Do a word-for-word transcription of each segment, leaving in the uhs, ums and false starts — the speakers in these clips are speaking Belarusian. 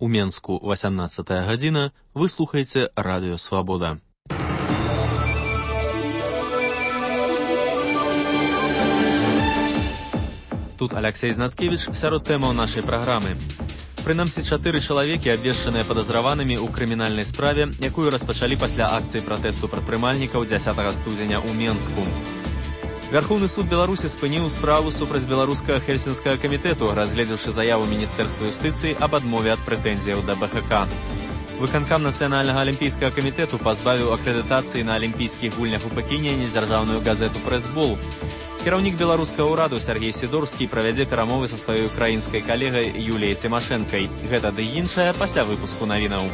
У Менску васямнадцатая гадзіна, вы слухаеце Радыё Свабода. Тут Алексей Знаткевич, сярод тэмаў нашай праграмы. Прынамсі чатыры чалавекі абвешчаныя падазраванымі ў крымінальнай справе, якую распачалі пасля акцыі пратэсту прадпрымальнікаў дзясятага студзеня ў Менску. Вярхоўны суд Беларусі спыніў справу супраць беларускага хельсінскага камітэту, разгледзеўшы заяву Міністэрства юстыцыі аб адмове ад прэтэнзіяў да Бэ Ха Ка. Выканкам Нацыянальнага алімпійскага камітэту пазбавіў акрэдытацыі на алімпійскіх гульнях у Пекіне недзяржаўную газету «Прэс-бол». Кіраўнік беларускага ўраду Сергей Сідорскі правядзе перамовы са сваёй украінскай калегай Юліяй Цімашэнкай. Гэта ды іншае пасля выпуску навінаў.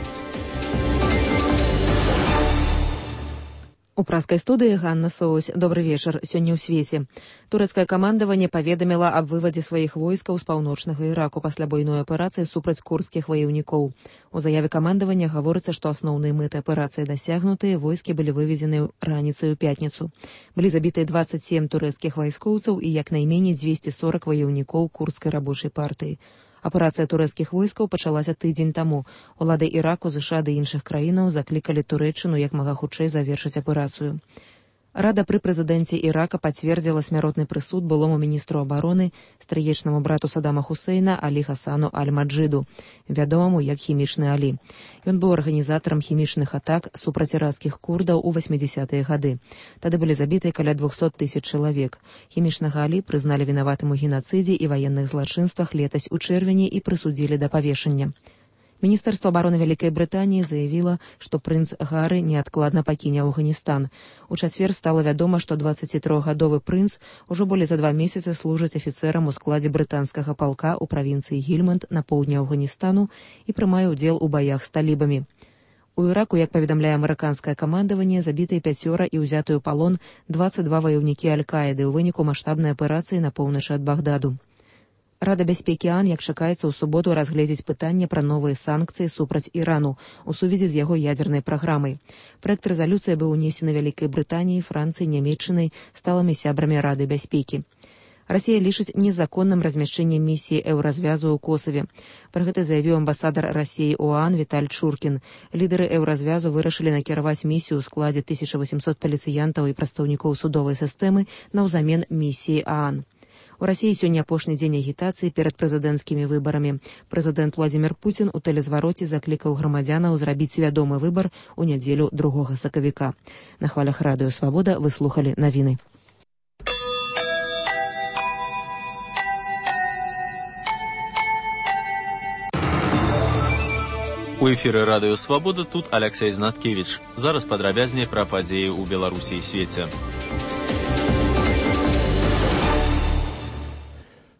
У праскай студыі Ганна Соусь. Добры вечар. Сёння ў свеце. Турэцкае камандаванне паведаміла аб вывадзе сваіх войскаў з паўночнага Іраку пасля буйной аперацыі супраць курдскіх ваяўнікоў. У заяве камандавання гаворыцца, што асноўныя мэты аперацыі дасягнутыя, войскі былі выведзены раніцай у пятніцу. Былі забітыя дваццаць сем турэцкіх вайскоўцаў і як найменей дзвесце сорак ваяўнікоў курдскай рабочай партыі. Аперацыя турэцкіх войскаў пачалася тыдзень таму. Улады Іраку, ЗША ды іншых краінаў заклікалі Турэччыну як мага хутчэй завершыць аперацыю. Рада пры прэзідэнце Ірака пацвердзіла смяротны прысуд былому міністру абароны, стрыечнаму брату Садама Хусейна Алі Хасану Аль-Маджыду, вядомаму як хімічны Алі. Ён быў арганізатарам хімічных атак супраць іракскіх курдаў у васьмідзясятыя гады. Тады былі забітыя каля двухсот тысяч чалавек. Хімічнага Алі прызналі вінаватым у генацыдзе і ваенных злачынствах летась у чэрвені і прысудзілі да павешання. Міністэрства абароны Вялікай Брытаніі заявіла, што прынц Гары неадкладна пакіне Афганістан. У чацвер стала вядома, што дваццацітрохгадовы прынц ужо болей за два месяцы служыць афіцэрам у складзе брытанскага палка ў правінцыі Гільманд на поўдні Афганістану і прымае ўдзел у баях з талібамі. У Іраку, як паведамляе амерыканскае камандаванне, забітыя пяцёра і ўзятыя ў палон дваццаць два ваяўнікі Аль-Каіды ў выніку маштабнай аперацыі на поўначы ад Багдаду. Рада бяспекі ААН, як чакаецца, у суботу разгледзець пытанне пра новыя санкцыі супраць Ірану у сувязі з яго ядзернай праграмай. Праект рэзалюцыі быў унесены Вялікай Брытаніяй, Францыяй, Нямецчынай, сталымі сябрамі Рады бяспекі. Расія лічыць незаконным размяшчэннем місіі еўразвязу ў Косаве. Пра гэта заявіў амбасадар Расіі ў ААН Віталь Чуркін. Лідары еўразвязу вырашылі накіраваць місію ў складзе тысяча васемсот паліцыянтаў і прадстаўнікоў судовай сістэмы наўзамен місіі ААН. У Расіі сёння апошні дзень агітацыі перад прэзідэнцкімі выбарамі. Прэзідэнт Владзімір Пуцін у тэлезвароце заклікаў грамадзянаў зрабіць свядомы выбар у нядзелю другога сакавіка. На хвалях Радыё Свабода вы слухалі навіны. У эфіры Радыё Свабода тут Алексей Знаткевич. Зараз падрабязней пра падзеі ў Беларусі і свеце.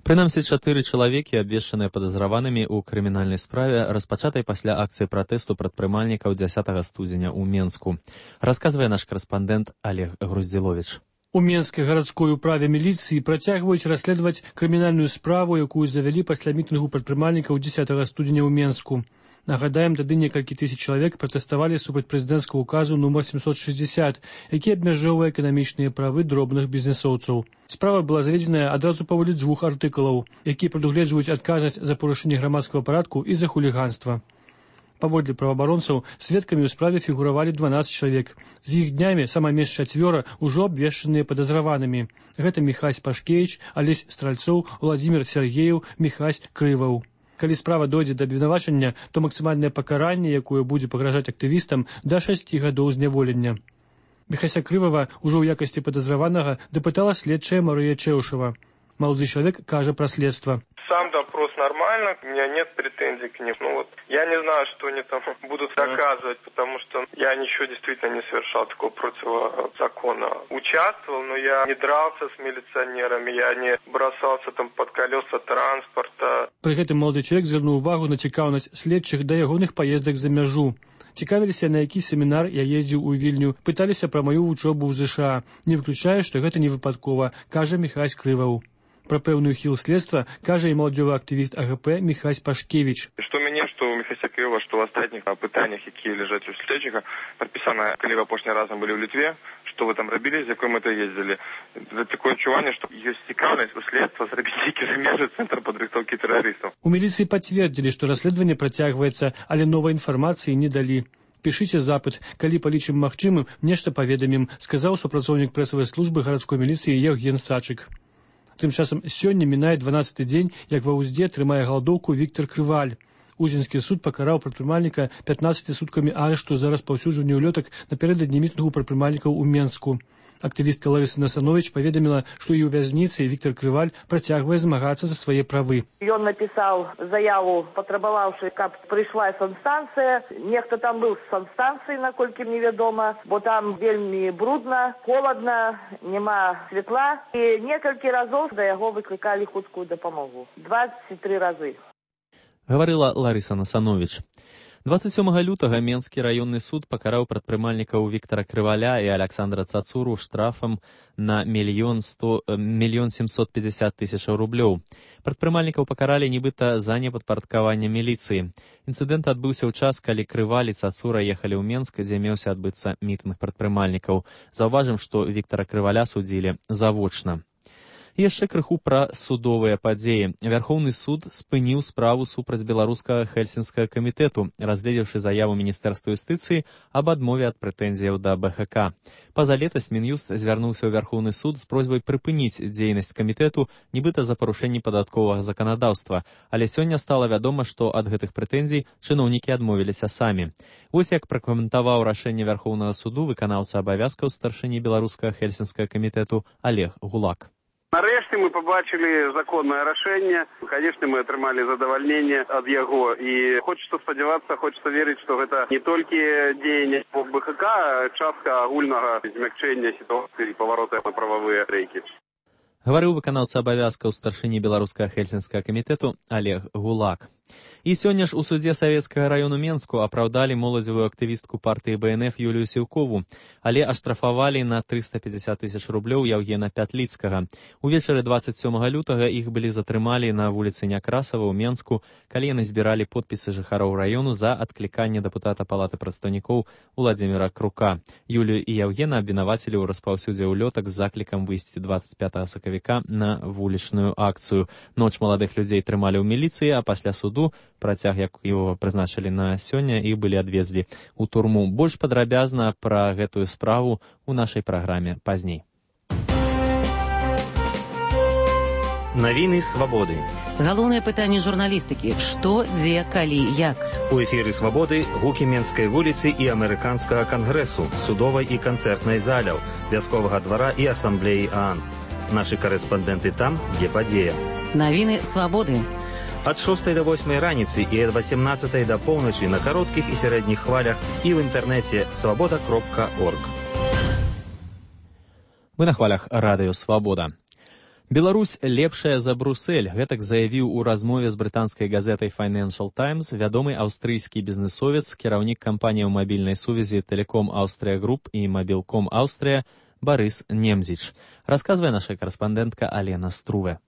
Прынамсі чатыры чалавекі, абвешчаныя падазраванымі ў крымінальнай справе, распачатай пасля акцыі пратэсту прадпрымальнікаў дзясятага студзеня ў Менску. Расказвае наш карэспандэнт Олег Груздзіловіч. У Менскай гарадской управе міліцыі працягваюць расследаваць крымінальную справу, якую завялі пасля мітынгу прадпрымальнікаў дзесятага студзеня ў Менску. Нагадаем, тады некалькі тысяч чалавек пратэставалі супраць прэзідэнцкага указу нумар семьсот шестьдесят, які абмяжоўвае эканамічныя правы дробных бізнесоўцаў. Справа была заведзеная адразу паводле дзвюх артыкулаў, якія прадугледжваюць адказнасць за парушэнне грамадскага парадку і за хуліганства. Паводле праваабаронцаў, сведкамі ў справе фігуравалі дванаццаць чалавек. З іх днямі сама менш чацвёра ўжо абвешчаныя падазраванымі. Гэта Міхась Пашкевіч, Алесь Стральцоў, Владзімір Сергеев, Міхась Крываў. Калі справа дойдзе да абвінавачання, то максімальнае пакаранне, якое будзе пагражаць актывістам, да шасці гадоў зняволення. Міхася Крывава ўжо ў якасці падазраванага дапытала следчая Марыя Чэўшава. Малады чалавек кажа пра следства. Сам допрос нормально, у меня нет претензий к ним. Ну вот, я не знаю, что они там будут доказывать, потому что я ничего действительно не совершал такого противозакона. Участвовал, но я не дрался с милиционерами, я не бросался там под колеса транспорта. При гэтым малады чалавек звярнуў увагу на цікаўнасць следчых да ягоных паездак за мяжу. Цікавіліся, на які семінар я ездзіў у Вільню, пыталіся пра маю вучобу ў ЗША. Не выключае, што гэта не выпадкова, кажа Міхась Крываў. Про пэўную хіл следства кажа і маладзёвы актывіст АГП Міхась Пашкевіч. Што мяне, што ў Міхася Крывава, што ў астатніх пытаннях, якія ляжаць у следчыка, падпісана, калі вы апошні разам былі ў Літве, что вы там робили, з якой мэтай ездзілі. Такое адчуванне, што ёсць цікаўнасць у следства зрабіць нейкі замежны цэнтр падрыхтоўкі тэрарыстаў. У міліцыі пацвердзілі, што расследаванне працягваецца, але новай інфармацыі не далі. Пішыце запыт, калі палічым магчымым, нешта паведамім, сказаў супрацоўнік прэсавай службы гарадской міліцыі Евген Сачык. Тым часам сёння мінае дванаццаты дзень, як ва ўзде трымае галодоўку Віктор Крываль. Узінскі суд пакараў прадпрымальніка пятнаццаці суткамі арышту за распаўсюджванне ўлётак напярэдадні мітынгу прадпрымальнікаў у Менску. Актывістка Ларыса Насанович паведаміла, што і ў вязніцы Віктор Крываль працягвае змагацца за свае правы. Ён напісаў заяву, патрабаваўшы, каб прыйшла санстанцыя. Нехта там быў з санстанцыі, наколькі мне вядома, бо там вельмі брудна, холадна, няма святла. І некалькі разоў да яго выклікалі хуткую дапамогу. дваццаць тры разы. Гаварыла Ларыса Насанович. дваццаць сёмага лютага Менскі раённы суд пакараў прадпрымальнікаў Віктара Крываля і Александра Цацуру штрафам на мільён сямсот пятьдесят тысяч рублёў. Прадпрымальнікаў пакаралі нібыта за непадпарадкаванне міліцыі. Інцыдэнт адбыўся ў час, калі Крываль і Цацура ехалі ў Менск, дзе меўся адбыцца мітынг прадпрымальнікаў. Заўважым, што Віктара Крываля судзілі завочна. Яшчэ крыху пра судовыя падзеі. Вярхоўны суд спыніў справу супраць беларускага хельсінскага камітэту, разгледзеўшы заяву міністэрства юстыцыі аб адмове ад прэтэнзіяў да бэ ха ка. Пазалетась Мін'юст звярнуўся ў Вярхоўны суд з просьбай прыпыніць дзейнасць камітэту, нібыта за парушэнні падатковага заканадаўства, але сёння стала вядома, што ад гэтых прэтэнзій чыноўнікі адмовіліся самі. Вось як пракаментаваў рашэнне Вярхоўнага суду выканаўца абавязкаў старшыні беларускага хельсінскага камітэту Олег Гулак. Нарэшце мы пабачылі законнае рашэнне. Канешне, мы атрымалі задавальненне ад яго. І хочацца спадзявацца, хочацца верыць, што гэта не толькі дзеянне по бэ ха ка, а частка агульнага змякчэння сітуацыі і паварота на прававыя рэйкі. Гаварыў выканаўца абавязкаў старшыні беларускага хельсінскага камітэту Олег Гулак. І сёння ж у судзе Савецкага раёну Менску апраўдалі моладзевую актывістку партыі бэ эн эф Юлію Сіўкову, але аштрафавалі на трыста пятьдесят тысяч рублёў Яўгена Пятліцкага. Увечары дваццаць сёмага лютага іх былі затрымалі на вуліцы Някрасава ў Менску, калі яны збіралі подпісы жыхароў раёну за адкліканне дэпутата палаты прадстаўнікоў Уладзіміра Крука. Юлію і Яўгена абвінавацілі ў распаўсюдзе ўлётак з заклікам выйсці дваццаць пятага сакавіка на вулічную акцыю. Ноч маладых людзей трымалі ў міліцыі, а пасля суду працяг, як его прызначылі на сёння, і былі адвезлі ў турму. Больш падрабязна пра гэтую справу у нашай праграме пазней. Навіны свабоды. Галоўнае пытанне журналістыкі: што, дзе, калі, як. У эфіры свабоды гукі Менскай вуліцы і амерыканскага кангрэсу, судовай і канцэртнай заляў, вясковага двара і асамблеі ААН. Нашы карэспандэнты там, дзе падзея. Навіны свабоды. Ад шостай да восьмай раніцы і ад васемнаццатай да поўначы на кароткіх і сярэдніх хвалях і ў інтэрнэце свабода кропка орг. Вы на хвалях радыё «Свабода». Беларусь лепшая за Брусэль, гэтак заявіў у размове з брытанскай газетай Financial Times вядомы аўстрыйскі бізнесовец, кіраўнік кампаніяў мабільнай сувязі Тэлеком Аўстрыя Груп і Мабілком Аўстрыя Барыс Немзіч. Расказвае наша карэспандэнтка Алена Струве.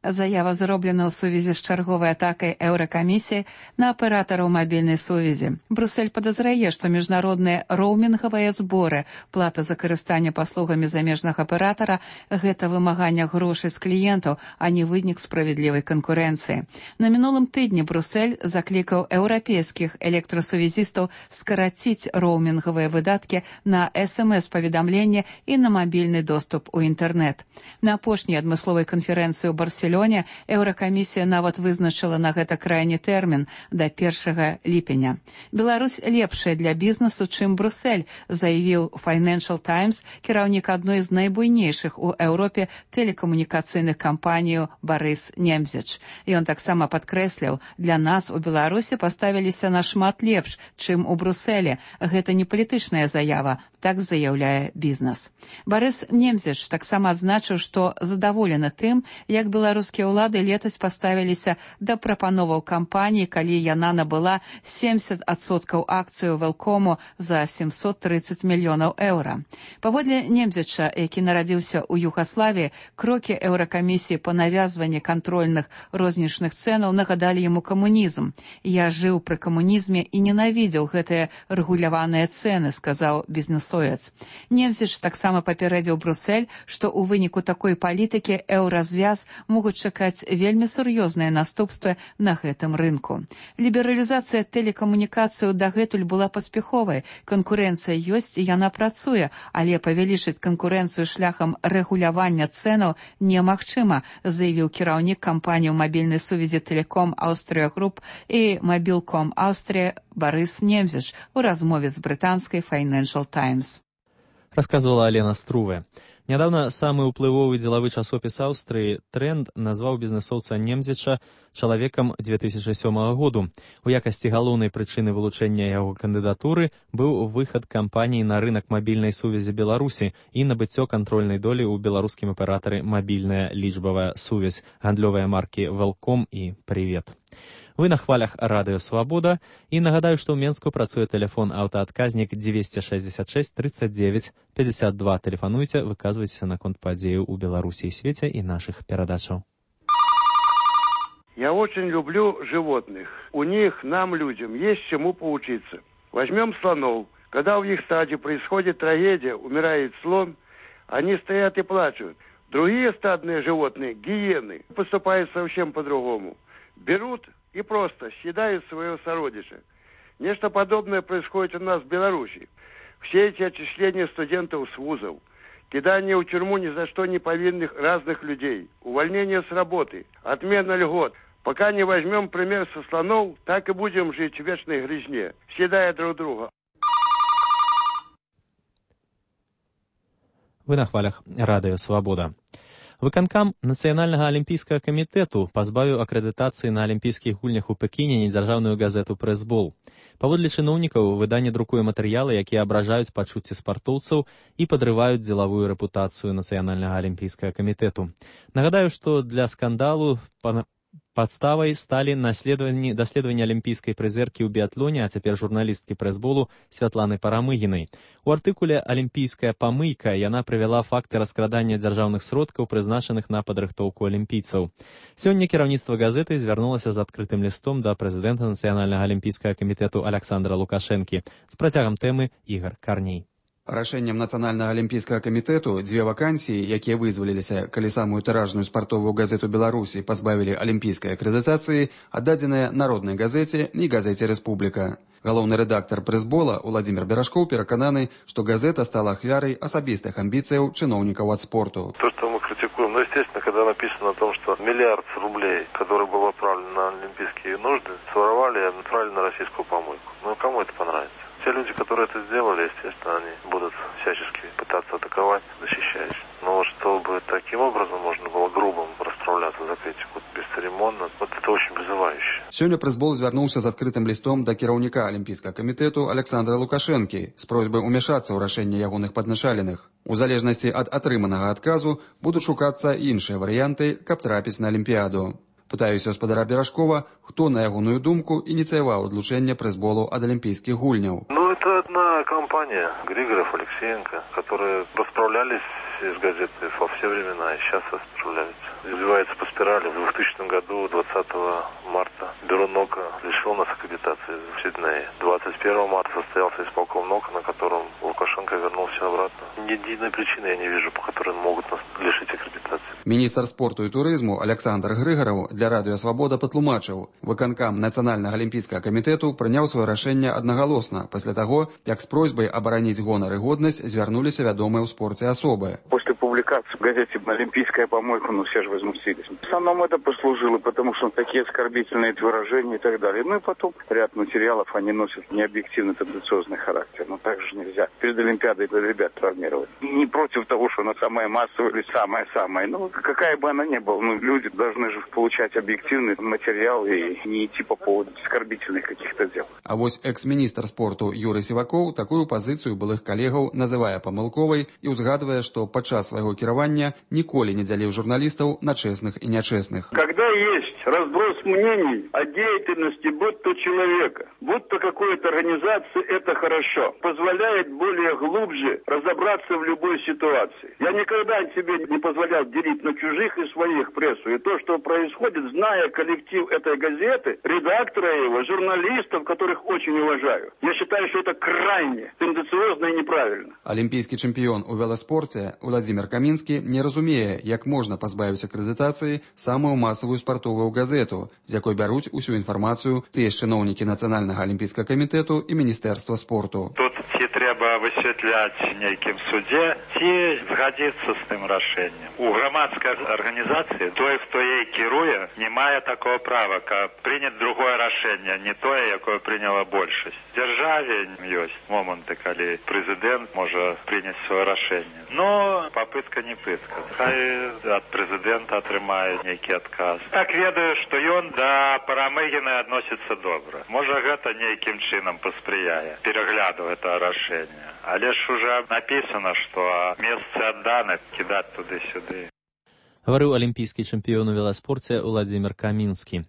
Заява зроблена ў сувязі з чарговай атакай Еўракамісіі на аператараў мабільнай сувязі. Брусэль падазрае, што міжнародныя роумінгавыя зборы, плата за карыстанне паслугамі замежнага аператара – гэта вымаганне грошай з кліентаў, а не вынік справядлівай канкурэнцыі. На мінулым тыдні Брусэль заклікаў еўрапейскіх электрасувязістаў скараціць роумінгавыя выдаткі на эс эм эс-паведамленне і на мабільны доступ у інтэрнэт. На апошняй адмысловай канферэнцыі ў Барселоне Еўракамісія нават вызначыла на гэта крайні тэрмін да першага ліпеня. Беларусь лепшая для бізнесу, чым Брусэль, заявіў Financial Times кіраўнік адной з найбуйнейшых у Еўропе тэлекамунікацыйных кампаній Барыс Немзіч. Ён таксама падкрэсліў: для нас у Беларусі паставіліся нашмат лепш, чым у Брусэлі. Гэта не палітычная заява, так заяўляе бізнес. Барыс Немзіч таксама адзначыў, што задаволены тым, як Беларусь Беларускія ўлады летась паставіліся да прапановаў кампаніі, калі яна набыла семьдесят адсоткаў акцыяў Велкому за семьсот тридцать мільёнаў еўра. Паводле Немзіча, які нарадзіўся ў Югаславіі, крокі Еўракамісіі па навязванні кантрольных рознічных цэнаў нагадалі яму камунізм. «Я жыў пры камунізме і ненавідзеў гэтыя рэгуляваныя цэны», сказаў бізнесмен. Соец. Немзіч таксама папярэдзіў Брусэль, што ў выніку такой палітыкі еўразвяз могуць чакаць вельмі сур'ёзныя наступствы на гэтым рынку. Лібералізацыя тэлекамунікацыяў дагэтуль была паспяховай. Канкурэнцыя ёсць, яна працуе, але павялічыць канкурэнцыю шляхам рэгулявання цэнаў немагчыма, заявіў кіраўнік кампаніі мабільнай сувязі Телеком Аўстрія Груп і Мобілком Аўстрія Барыс Немзіч у размове з брытанскай Financial Times. Рассказывала Алена Струве. Нядаўна самы ўплывовы дзелавы часопіс Аўстрыі «Тренд» назваў бізнэсоўца Немзіча чалавекам две тысячы сёмага году. У якасці галоўнай прычыны вылучэння яго кандыдатуры быў выхад кампаніі на рынак мабільнай сувязі Беларусі і набыццё кантрольнай долі ў беларускім аператары «Мабільная лічбавая сувязь», гандлёвыя маркі «Велком» і «Привет». Вы на хвалях Радыё Свабода, і нагадаю, што ў Менску працуе тэлефон аўтаадказнік дзвесце шэсцьдзесят шэсць тридцать девять пятьдесят два. Тэлефануйце, выказвайцеся наконт падзеяў у Беларусі і свеце і нашых перадачаў. Я очень люблю животных. У них, нам, людям, есть чему поучиться. Возьмем слонов. Когда в их стаде происходит трагедия, умирает слон, они стоят и плачут. Другие стадные животные, гиены, поступают совсем по-другому. Берут и просто съедают своего сородича. Нечто подобное происходит у нас в Беларуси. Все эти отчисления студентов с вузов, кидание в тюрьму ни за что не повинных разных людей, увольнение с работы, отмена льгот. Пока не возьмем пример со слонов, так и будем жить в вечной грязне, съедая друг друга. Вы на хвалях Радыё Свабода. Выканкам Нацыянальнага алімпійскага камітэту пазбавіў акрэдытацыі на алімпійскіх гульнях у Пекіне недзяржаўную газету «Прэсбол». Паводле чыноўнікаў, выданне друкуе матэрыялы, якія абражаюць пачуцці спартоўцаў і падрываюць дзелавую рэпутацыю Нацыянальнага алімпійскага камітэту. Нагадаю, што для скандалу падставай сталі даследаванні алімпійскай прызеркі ў біятлоне, а цяпер журналісткі «Прэсболу» Святланы Парамыгінай. У артыкуле «Алімпійская памыйка» яна прывяла факты раскрадання дзяржаўных сродкаў, прызначаных на падрыхтоўку алімпійцаў. Сёння кіраўніцтва газеты звярнулася з адкрытым лістом да прэзідэнта Нацыянальнага алімпійскага камітэту Аляксандра Лукашэнкі з працягам тэмы Ігар Карней. Рашэннем Нацыянальнага алімпійскага камітэту дзве вакансіі, якія вызваліліся, калі самую тыражную спартовую газету Беларусі пазбавілі алімпійскай акрэдытацыі, аддадзеныя Народнай газеце і газеце «Рэспубліка». Галоўны рэдактар «Прэсбола» Уладзімір Берашкоў перакананы, што газета стала ахвярай асабістых амбіцыяў чыноўнікаў ад спорту. То, что мы критикуем, ну, естественно, когда написано о том, что миллиард рублей, который был отправлен на олимпийские нужды, своровали и отправили на российскую помойку. Ну, кому это понравится? Те люди, которые это сделали, естественно, они будут всячески пытаться атаковать, защищаясь. Но вот чтобы таким образом можно было грубо расправляться за критику, бесцеремонно, вот это очень вызывающе. Сёння «Прэсбол» звярнуўся з адкрытым лістом да кіраўніка алімпійскага камітэту Аляксандра Лукашэнкі з просьбай умяшацца ў рашэнне ягоных падначаленых. У залежнасці ад атрыманага адказу будуць шукацца іншыя варыянты, каб трапіць на алімпіяду. Пытаюся гаспадара Берашкова, хто, на ягоную думку, ініцыяваў адлучэнне «Прэсболу» ад алімпійскіх гульняў. Ну, это одна компания, Григоров, Алексеенко, которые расправлялись с газетой во все времена и сейчас расправляются. Развивается по спирали. В двухтысячном году, двадцатого марта, бюро НОКа лишило нас аккредитации в Сиднее. двадцать первого марта состоялся исполком НОКа, на котором Лукашенко вернул все обратно. Ни единой причины я не вижу, по которой могут нас лишить аккредитации. Міністр спорту і турызму Аляксандр Грыгараў для Радыё Свабода патлумачыў, выканкам Нацыянальнага алімпійскага камітэту прыняў сваё рашэнне аднагалосна пасля таго, як з просьбай абараніць гонар і годнасць звярнуліся вядомыя ў спорце асобы. После публикации в газете «Олимпийская помойка», ну все же возмутились. В основном это послужило, потому что такие оскорбительные выражения и так далее. Ну и потом ряд материалов, они носят необъективный тенденциозный характер. Но так же нельзя перед Олимпиадой ребят травмировать. Не против того, что она самая массовая или самая-самая. Ну, какая бы она ни была, ну, люди должны же получать объективный материал и не идти по поводу оскорбительных каких-то дел. А вось экс-міністр спорту Юрый Сівакоў такую пазіцыю былых калегаў называе памылковай і ўзгадвае, што падчас свайго кіравання ніколі не дзяліў журналістаў на чэсных і нячэсных. Когда есть разброс мнений о деятельности будь то человека, будь то какой-то организации, это хорошо. Позволяет более глубже разобраться в любой ситуации. Я никогда себе не позволял делить на чужих и своих прессу. И то, что происходит, зная коллектив этой газеты, редактора его, журналистов, которых очень уважаю, я считаю, что это крайне тенденциозно и неправильно. Олимпийский чемпион у велоспорте Владимир Каминский не разумее, як можна пазбавіць акрэдытацыі самую масавую спартовую газету, з якой бяруць усю інфармацыю тыя чыноўнікі Нацыянальнага алімпійскага камітэту і Міністэрства спорту. Тут ці трэба высвятляць нейкім судзе, ці згадзіцца з тым рашэннем. У грамадскай арганізацыі той, хто ей кіруе, не мае такого права, каб прыняць другое рашэнне, не тое, якое прыняла большасць. В дзяржаве ёсць моманты, калі прэзідэнт можа прыняць сваё рашэнне. Но попытка не пытка. Хай ад прэзідэнта атрымае нейкі адказ. Так ведаю, што ён да Парамыгіна адносіцца добра. Можа, гэта нейкім чынам паспрыяе перагляду гэтага рашэння. Але ж уже напісана, што месцы адданы, кідаць туды-сюды. Гаварыў алімпійскі чэмпіён у веласпорце Владзімір Камінскі.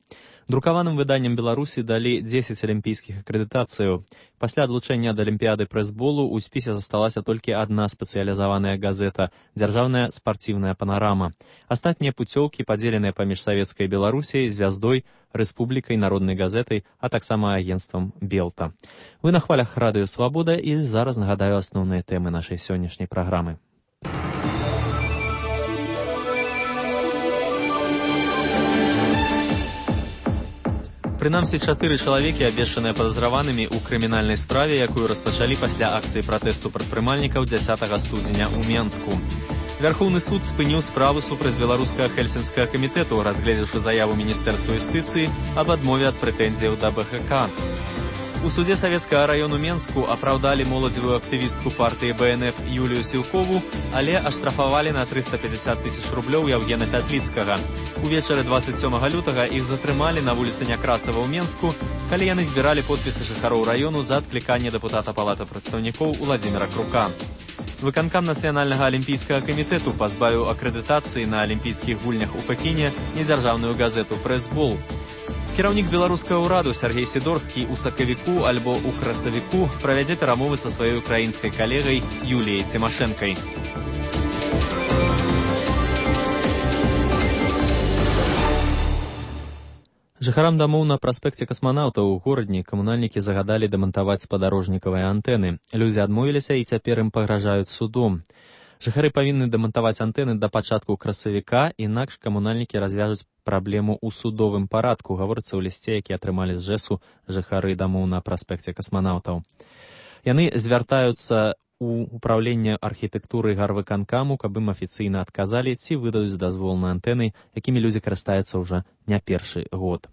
Друкаваным выданнем Беларусі далі дзесяць алімпійскіх акрэдытацыяў. Пасля адлучэння ад алімпіяды прэсболу ў спісе засталася толькі адна спецыялізаваная газета – дзяржаўная спартыўная панарама. Астатнія пуцёўкі падзеленыя паміж савецкай Беларусяй, звяздой, рэспублікай, народнай газетай, а таксама агенцтвам Белта. Вы на хвалях радыё Свабода і зараз нагадаю асноўныя тэмы нашай сённяшняй праграмы. Прынамсі, чатыры чалавекі, абвешчаныя падазраванымі ў крымінальнай справе, якую распачалі пасля акцыі пратэсту прадпрымальнікаў дзясятага студзеня ў Менску. Вярхоўны суд спыніў справу супраць беларускага хельсінскага камітэту, разгледзеўшы заяву Міністэрства юстыцыі аб адмове ад прэтэнзіяў да бэ гэ ка. У суде Савецкага раёну Менску апраўдалі моладзевую актывістку партыі бэ эн эф Юлію Сілкову, але аштрафавалі на трыста пятьдесят тысяч рублёў Яўгена Пятліцкага. Увечары двадцать сёмага лютага іх затрымалі на вуліцы Някрасава ў Менску, калі яны збіралі подпісы жыхароў раёну за адкліканне дэпутата Палаты прадстаўнікоў Уладзіміра Крука. Выканкам Нацыянальнага алімпійскага камітэту пазбавіў акрэдытацыі на алімпійскіх гульнях у Пекіне недзяржаўную газету «Прэсбол». Кіраўнік беларускага ўраду Сергей Сідорскі ў сакавіку альбо ў красавіку правядзе перамовы са сваёй украінскай калегай Юліяй Цімашэнкай. Жыхарам дамоў на праспекце касманаўтаў у горадні камунальнікі загадалі дэмантаваць спадарожнікавыя антэны. Людзі адмовіліся і цяпер ім пагражаюць судом. Жыхары павінны дэмантаваць антэны да пачатку красавіка, інакш камунальнікі развяжуць праблему ў судовым парадку, гаворыцца ў лісце, які атрымалі з жэсу жыхары дамоў на праспекце касманаўтаў. Яны звяртаюцца ў управленне архітэктуры гарвыканкаму, каб ім афіцыйна адказалі, ці выдадуць дазвол на антэны, якімі людзі карыстаюцца ўжо не першы год.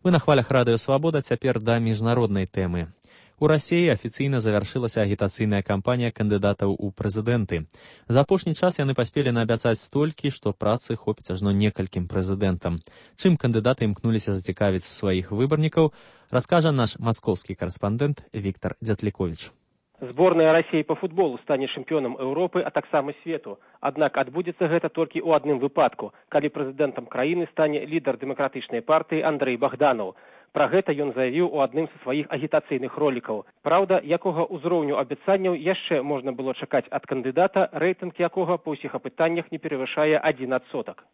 Вы на хвалях радыё Свабода, цяпер да міжнароднай тэмы. У Расіі афіцыйна завяршылася агітацыйная кампанія кандыдатаў у прэзідэнты. За апошні час яны паспелі наабяцаць столькі, што працы хопіць ажно некалькім прэзідэнтам. Чым кандыдаты імкнуліся зацікавіць сваіх выбарнікаў, раскажа наш маскоўскі карэспандэнт Віктор Дзятліковіч. Зборная Расіі па футболу стане чэмпіёнам Еўропы, а таксама свету. Аднак адбудзецца гэта толькі ў адным выпадку, калі прэзідэнтам краіны стане лідар дэмакратычнай партыі Андрэй Богданаў. Пра гэта ён заявіў у адным са сваіх агітацыйных ролікаў. Праўда, якога ўзроўню абяцанняў яшчэ можна было чакаць ад кандыдата, рэйтынг якога па ўсіх апытаннях не перавышае адзін адсотак.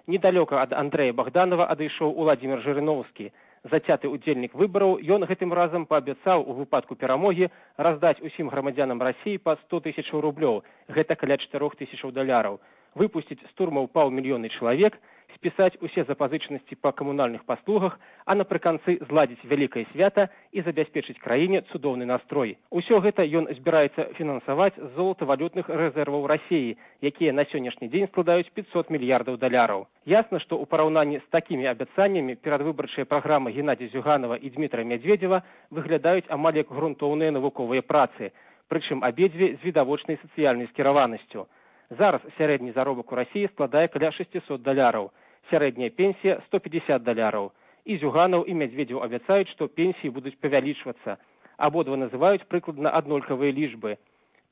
Недалёка ад Андрэя Богданова адышоў Уладзімір Жырыноўскі. Зацяты ўдзельнік выбараў, ён гэтым разам паабяцаў у выпадку перамогі раздаць усім грамадзянам Расіі па сто тысячаў рублёў, гэта каля чатырох тысячаў даляраў, выпусціць з турмаў паўмільёны чалавек, спісаць усе запазычанасці па камунальных паслугах, а напрыканцы зладзіць вялікае свята і забяспечыць краіне цудоўны настрой. Усё гэта ён збіраецца фінансаваць з золатавалютных рэзерваў Расіі, якія на сённяшні дзень складаюць пятьсот мільярдаў даляраў. Ясна, што ў параўнанні з такімі абяцаннямі перадвыбарчыя праграмы Геннадзія Зюганова і Дмітра Мядзведзева выглядаюць амаль як грунтоўныя навуковыя працы, прычым абедзве з відавочнай сацыяльнай скіраванасцю. Зараз сярэдні заробак у Расіі складае каля шестьсот даляраў, сярэдняя пенсія сто пятьдесят даляраў. І Зюганаў, і Мядзведзеў абяцаюць, што пенсіі будуць павялічвацца. Абодва называюць прыкладна аднолькавыя лічбы.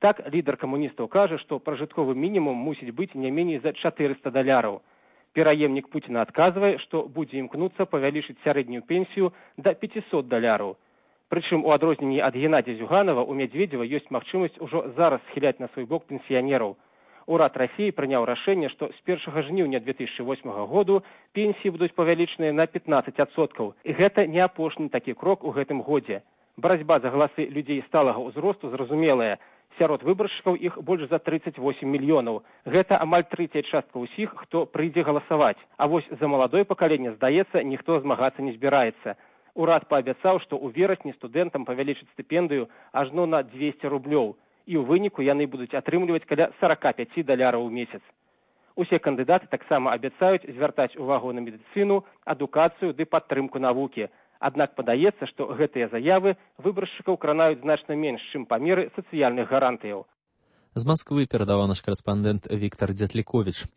Так, лідар камуністаў кажа, што пражытковы мінімум мусіць быць не меней за чатырыста даляраў. Пераемнік Пуціна адказвае, што будзе імкнуцца павялічыць сярэднюю пенсію да пятьсот даляраў. Прычым у адрозненні ад Геннадзя Зюганова у Медведзева ёсць магчымасць ужо зараз схіляць на свой бок пенсіянераў. Урад Расіі прыняў рашэнне, што з першага жніўня две тысячы восьмага году пенсіі будуць павялічаныя на пятнадцать адсоткаў. І гэта не апошні такі крок у гэтым годзе. Барацьба за галасы людзей сталага ўзросту зразумелая. Сярод выбаршчыкаў іх больш за тридцать восемь мільёнаў. Гэта амаль трэцяя частка ўсіх, хто прыйдзе галасаваць. А вось за маладое пакаленне, здаецца, ніхто змагацца не збіраецца. Урад паабяцаў, што ў верасні студэнтам павялічыць стыпендыю ажно на двести рублёў. І ў выніку яны будуць атрымліваць каля сорок пять даляраў у месяц. Усе кандыдаты таксама абяцаюць звяртаць увагу на медыцыну, адукацыю ды падтрымку навукі. Аднак падаецца, што гэтыя заявы выбаршчыкаў кранаюць значна менш, чым памеры сацыяльных гарантыяў. З Москвы перадаваў наш карэспандэнт Віктор Дзятліковіч.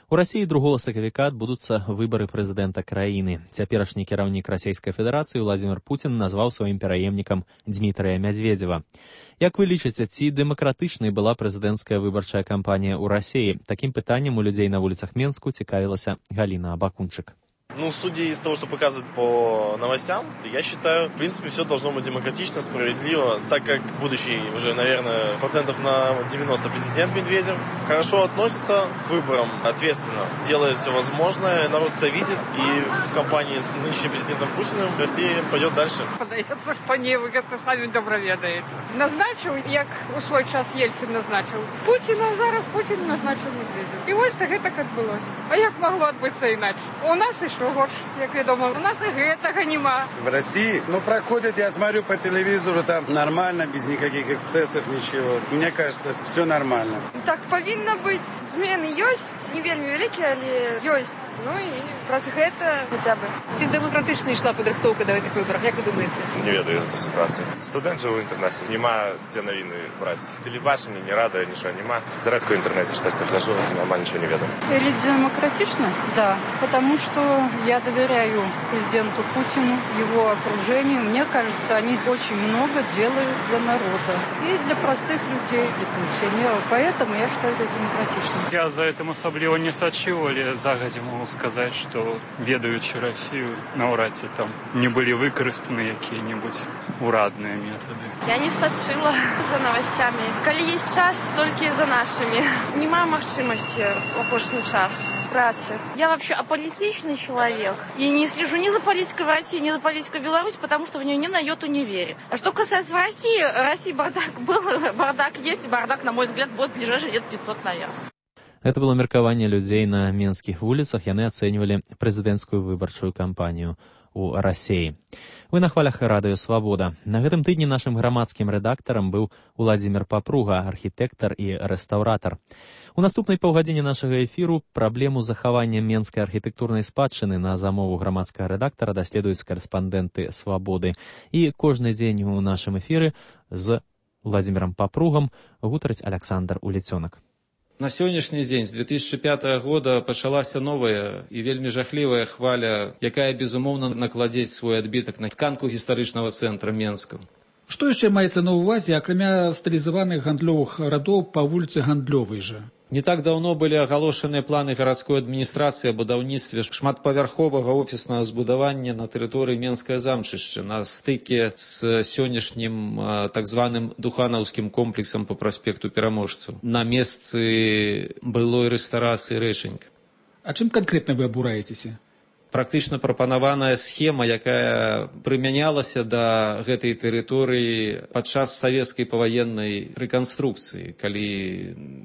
У Расіі другога сакавіка адбудуцца выбары прэзідэнта краіны. Цяперашні кіраўнік Расійскай Федэрацыі Владзімір Пуцін назваў сваім пераемнікам Дмітрыя Мядзведзева. Як вы лічыце, ці дэмакратычнай была прэзідэнцкая выбарчая кампанія ў Расіі? Такім пытаннем у людзей на вуліцах Менску цікавілася Галіна Абакунчык. Ну, судя из того, что показывают по новостям, я считаю, в принципе, все должно быть демократично, справедливо, так как будущий уже, наверное, процентов на девяносто президент Медведев хорошо относится к выборам, ответственно, делает все возможное, народ это видит, и в кампании с нынешним президентом Путиным Россия пойдет дальше. Подається, що ні, ви це самі добре ведаєте. Назначив, як у свій час Єльцин назначив Путіна, зараз Путін назначив Медведєва. І ось так так відбулося. А як могло відбутися інакше? У нас і горш, як відомо, у нас і гэтага нема. В России, ну, проходит, я смотрю по телевизору, там нормально, без никаких эксцессов, ничего. Мне кажется, все нормально. Так повинно быть. Змены ёсць, не вельмі вялікія, але ёсць. Ну і праз гэта хотя бы. Ці демократична йшла підрихтовка до цих виборів, як ви думаєте? Не ведаю эту ситуацию. Студент живу в интернете, нема где новины брать. Телебачення, не рада, ничего нема. Зарядку в интернете, что я хожу, нормально ничего не ведаю. Или демократично? Да, потому что я доверяю президенту Путину, его окружению. Мне кажется, они очень много делают для народа. И для простых людей, для пенсионеров. Поэтому я считаю это демократичным. Я за этим особливо не сочил, или загодя могу сказать, что ведаючи Россию, навряд ці там не были выкористаны какие-нибудь урадные методы. Я не сочила за новостями. Коли есть час, только за нашими. Нема магчимости в апошний час працы. Я вообще аполитичный человек. И не слежу ни за политикой в России, ни за политикой в Беларуси, потому что в нее ни на йоту не верю. А что касается России, России бардак был, бардак есть, и бардак, на мой взгляд, будет в ближайшие лет пятьсот, наверное. Гэта было меркаванне людзей на менскіх вуліцах. Яны ацэньвалі прэзідэнцкую выбарчую кампанію у Расіі. Вы на хвалях радыё «Свабода». На гэтым тыдні нашым грамадскім рэдактарам быў Уладзімір Папруга, архітэктар і рэстаўратар. У наступнай паўгадзіне нашага эфіру праблему захавання менскай архітэктурнай спадчыны на замову грамадскага рэдактара даследуюць карэспандэнты «Свабоды». І кожны дзень у нашым эфіры з Уладзімірам Папругам гутарыць Аляксандр Уліцёнак. На сённяшні дзень, з две тысячи пятага года, пачалася новая і вельмі жахлівая хваля, якая, безумоўна, накладзець свой адбітак на тканку гістарычнага цэнтра Менска. Што яшчэ маецца на ўвазе, акрамя стылізаваных гандлёвых радоў па вуліцы Гандлёвай жа? Не так даўно былі агалошаныя планы гарадской адміністрацыі о будаўніцтве шматпавярховага офіснага збудавання на тэрыторыі Менскае замчышча на стыке з сённяшнім так званым Духанаўскім комплексам по праспекту Пераможцаў на месцы былой рэстарацыі Рэчанька. А чым канкрэтна вы абураецеся? Практычна прапанаваная схема, якая прымянялася да гэтай тэрыторыі падчас савецкай паваеннай рэканструкцыі, калі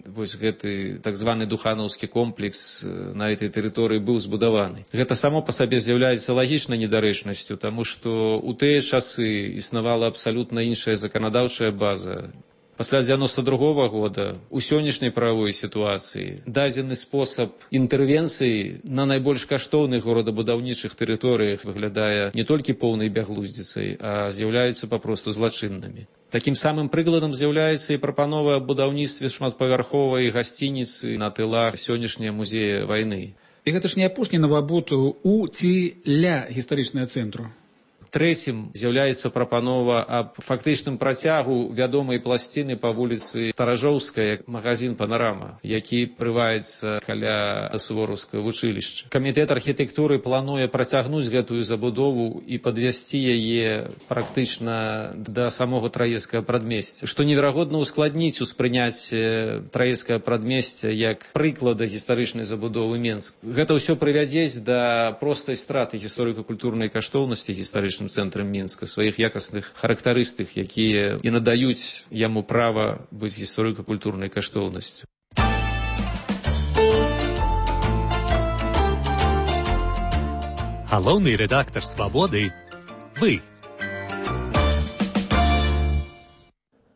вось гэты так званы Духанаўскі комплекс на этой тэрыторыі быў збудаваны. Гэта само па сабе з'яўляецца лагічнай недарэчнасцю, таму што ў тыя часы існавала абсалютна іншая заканадаўчая база. Пасля дзевяносто другого года у сённяшняй правовой сітуацыі дадзены спосаб інтэрвенцыі на найбольш каштоўных горадабудаўнічых тэрыторыях выглядае не толькі поўнай бяглуздзіцай, а з'яўляюцца папросту злачыннымі. Такім самым прыкладам з'яўляецца і прапанова аб будаўніцтве шматпавярховай гасцініцы на тылах сённяшняга музея вайны. І гэта ж не апошні навабуд у ці ля гістарычнага цэнтру. Трэцім з'яўляецца прапанова аб фактычным працягу вядомай пласціны па вуліцы Старажоўская, магазин «Панарама», які прываецца каля сувораўскага вучылішча. Камітэт архітэктуры плануе працягнуць гэтую забудову і падвесці яе практычна да самога Траецкага прадмесця, што неверагодна ускладніць успрыняцце Траецкага прадмесця як прыклада гістарычнай забудовы Менска. Гэта ўсё прывядзець да простай страты гісторыка-культурнай каштоўнасці гістарычным цэнтрам Мінска, сваіх якасных характарыстык, якія і надаюць яму права быць гісторыка-культурнай каштоўнасцю. Галоўны рэдактар «Свабоды» – вы.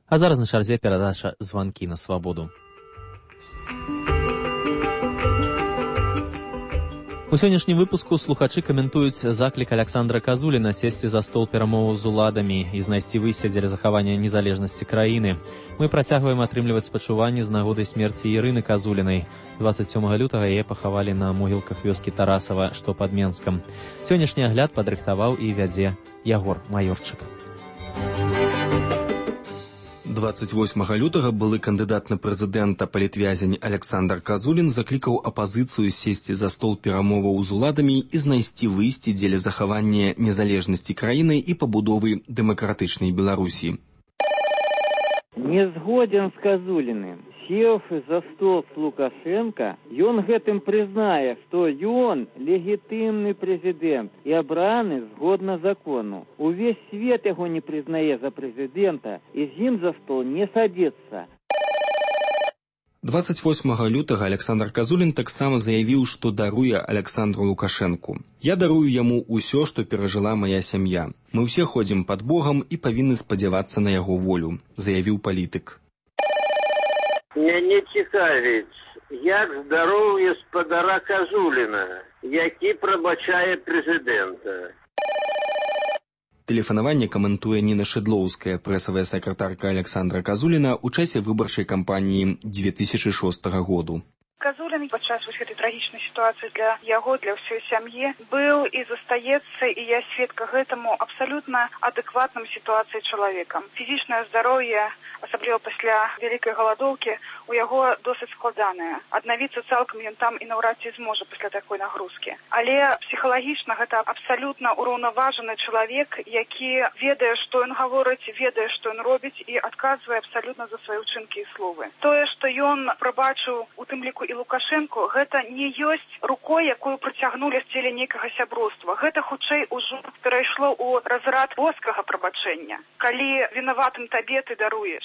А зараз на чарзе перадача «Званкі на свабоду». У сённяшнім выпуску слухачы каментуюць заклік Аляксандра Казуліна сесці за стол перамоваў з уладамі і знайсці выйсце дзеля захавання незалежнасці краіны. Мы працягваем атрымліваць спачуванні з нагодай смерці Ірыны Казулінай. дваццаць сёмага лютага яе пахавалі на могілках вёскі Тарасава, што пад Менскам. Сённяшні агляд падрыхтаваў і вядзе Ягор Маёрчык. дваццаць восьмага лютага былы кандыдат на прэзідэнта палітвязень Аляксандр Казулін заклікаў апазіцыю сесці за стол перамоваў з уладамі і знайсці выйсце дзеля захавання незалежнасці краіны і пабудовы дэмакратычнай Беларусі. Не згоден з Казуліным. Сеўшы за стол з Лукашенко, ён гэтым прызнае, што ён легітымны прэзідэнт і абраны згодна закону. Увесь свет яго не прызнае за прэзідэнта і з ім за стол не садзіцца. дваццаць восьмага лютага Аляксандр Казулін таксама заявіў, што даруе Аляксандру Лукашэнку. «Я дарую яму ўсё, што перажыла мая сям'я. Мы ўсе ходзім пад Богам і павінны спадзявацца на яго волю», заявіў палітык. Мяне цікавіць, як здароўе спадара Казуліна, які прабачае прэзідэнта. Тэлефанаванне каментуе Ніна Шыдлоўская, прэсавая сакратарка Аляксандра Казуліна ў часе выбарчай кампаніі дзве тысячы шостага году. Казулін падчас вось гэтай трагічнай сітуацыі для яго, для ўсёй сям'і, быў і застаецца, і я сведка гэтаму, абсалютна адэкватным сітуацыі чалавекам. Фізічнае здароўе, асабліва пасля вялікай галадоўкі, у яго досыць складанае. Аднавіцца цалкам ён там і наўрад ці зможа пасля такой нагрузкі. Але псіхалагічна гэта абсалютна ўраўнаважаны чалавек, які ведае, што ён гаворыць, ведае, што ён робіць і адказвае абсалютна за свае ўчынкі і словы. Тое, што ён прабачыў у тым ліку і Лукашенко, гэта не ёсць рукой, якую прыцягнулі з целі нейкага сяброўства. Гэта хутчэй ужо перайшло ў разрад боскага прабачэння. Калі вінаватым табе ты даруеш.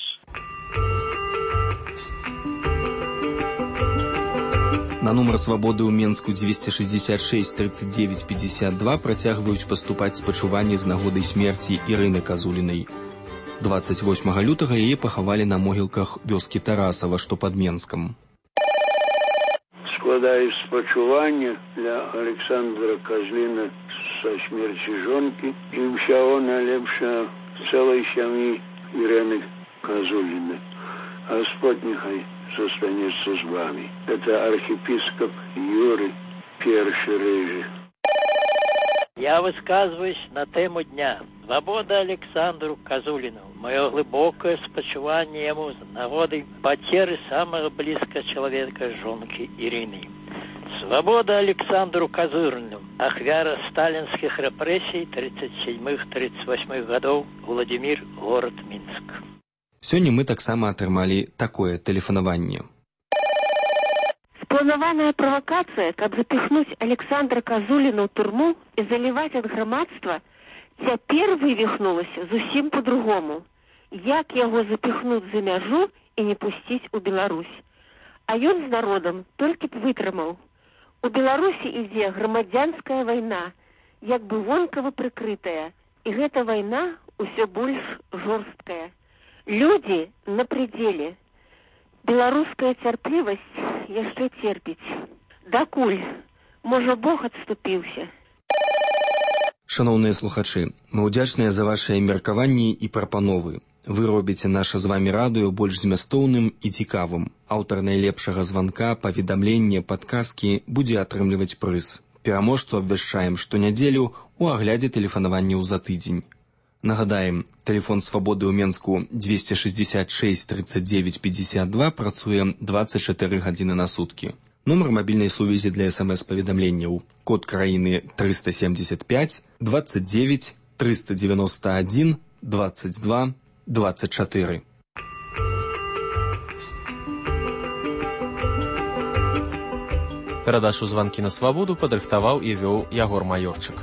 На нумар свабоды ў Менску дзвесце шэсцьдзесят шэсць тридцать девять пятьдесят два працягваюць паступаць спачуванні з нагодай смерці Ірыны Казулінай. дваццаць восьмага лютага яе пахавалі на могілках вёскі Тарасава, што пад Менскам. Складаю спачуванне для Александра Казуліна са смерці жонкі і ўсяго найлепшага цэлай сям'і Ірыны Казуліны. Господь нехай застанецца з вами. Это архиепископ Юрий Перший Рыжий. Я высказываюсь на тему дня. Свобода Александру Казулину. Мое глубокое спочивание ему с нагодой потери самого близкого человека, жонки Ирины. Свобода Александру Казулину. Ахвяра сталинских репрессий тридцать седьмых тридцать восьмых годов. Владимир, город Минск. Сёння мы таксама атрымалі такое тэлефанаванне. Спланаваная правакацыя, каб запихнуць Александра Казуліна ў турму і заліваць ад грамадства, цяпер вывіхнулася зусім по-другому. Як яго запихнуць за мяжу і не пусціць у Беларусь? А ён з народам толькі б вытрымаў. У Беларусі ідзе грамадзянская вайна, як бы вонкава прыкрытая, і гэта вайна ўсё больш жорсткая. Людзі на прыдзеле. Беларуская цярплівасць яшчэ церпіць. Дакуль? Можа, Бог адступіўся. Шановныя слухачы, мы ўдзячныя за вашыя меркаванні і прапановы. Вы робіце наша з вамі радыё больш змястоўным і цікавым. Аўтар найлепшага званка, паведамлення, падказкі будзе атрымліваць прыз. Пераможцу абвяшчаем штонядзелю у аглядзе тэлефанаванняў за тыдзень. Нагадаем, тэлефон свабоды ў Менску двести шестьдесят шесть тридцать девять пятьдесят два працуе двадцать четыре гадзіны на суткі. Нумар мабільнай сувязі для смс-паведамленняў. Код краіны триста семьдесят пять двадцать девять триста девяносто один двадцать два двадцать четыре. Перадачу «Званкі на свабоду» падрыхтаваў і вёў Ягор Маёрчык.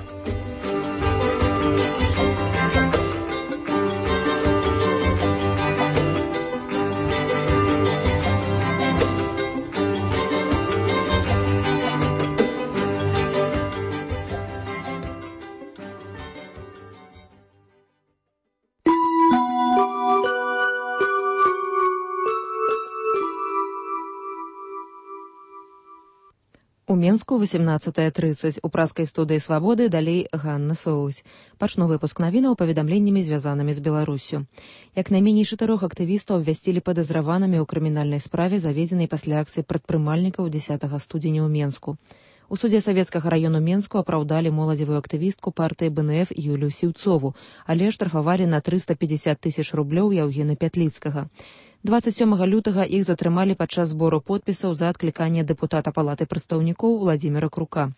У Менску восемнадцатая тридцать. У праскай студыі «Свабоды» далей Ганна Соусь. Пачну выпуск навінаў паведамленнямі, звязанымі з Беларуссю. Як найменей чатырох актывістаў абвясцілі падазраванымі ў крымінальнай справе, заведзенай пасля акцыі прадпрымальнікаў дзесятага студзеня ў Менску. У судзе савецкага раёну Менску апраўдалі моладзевую актывістку партыі бэ эн эф Юлію Сіўцову, але штрафавалі на триста пятьдесят тысяч рублёў Яўгена Пятліцкага. двадцать сёмага лютага іх затрымалі падчас збору подпісаў за адкліканне дэпутата палаты прадстаўнікоў Владзіміра Крука.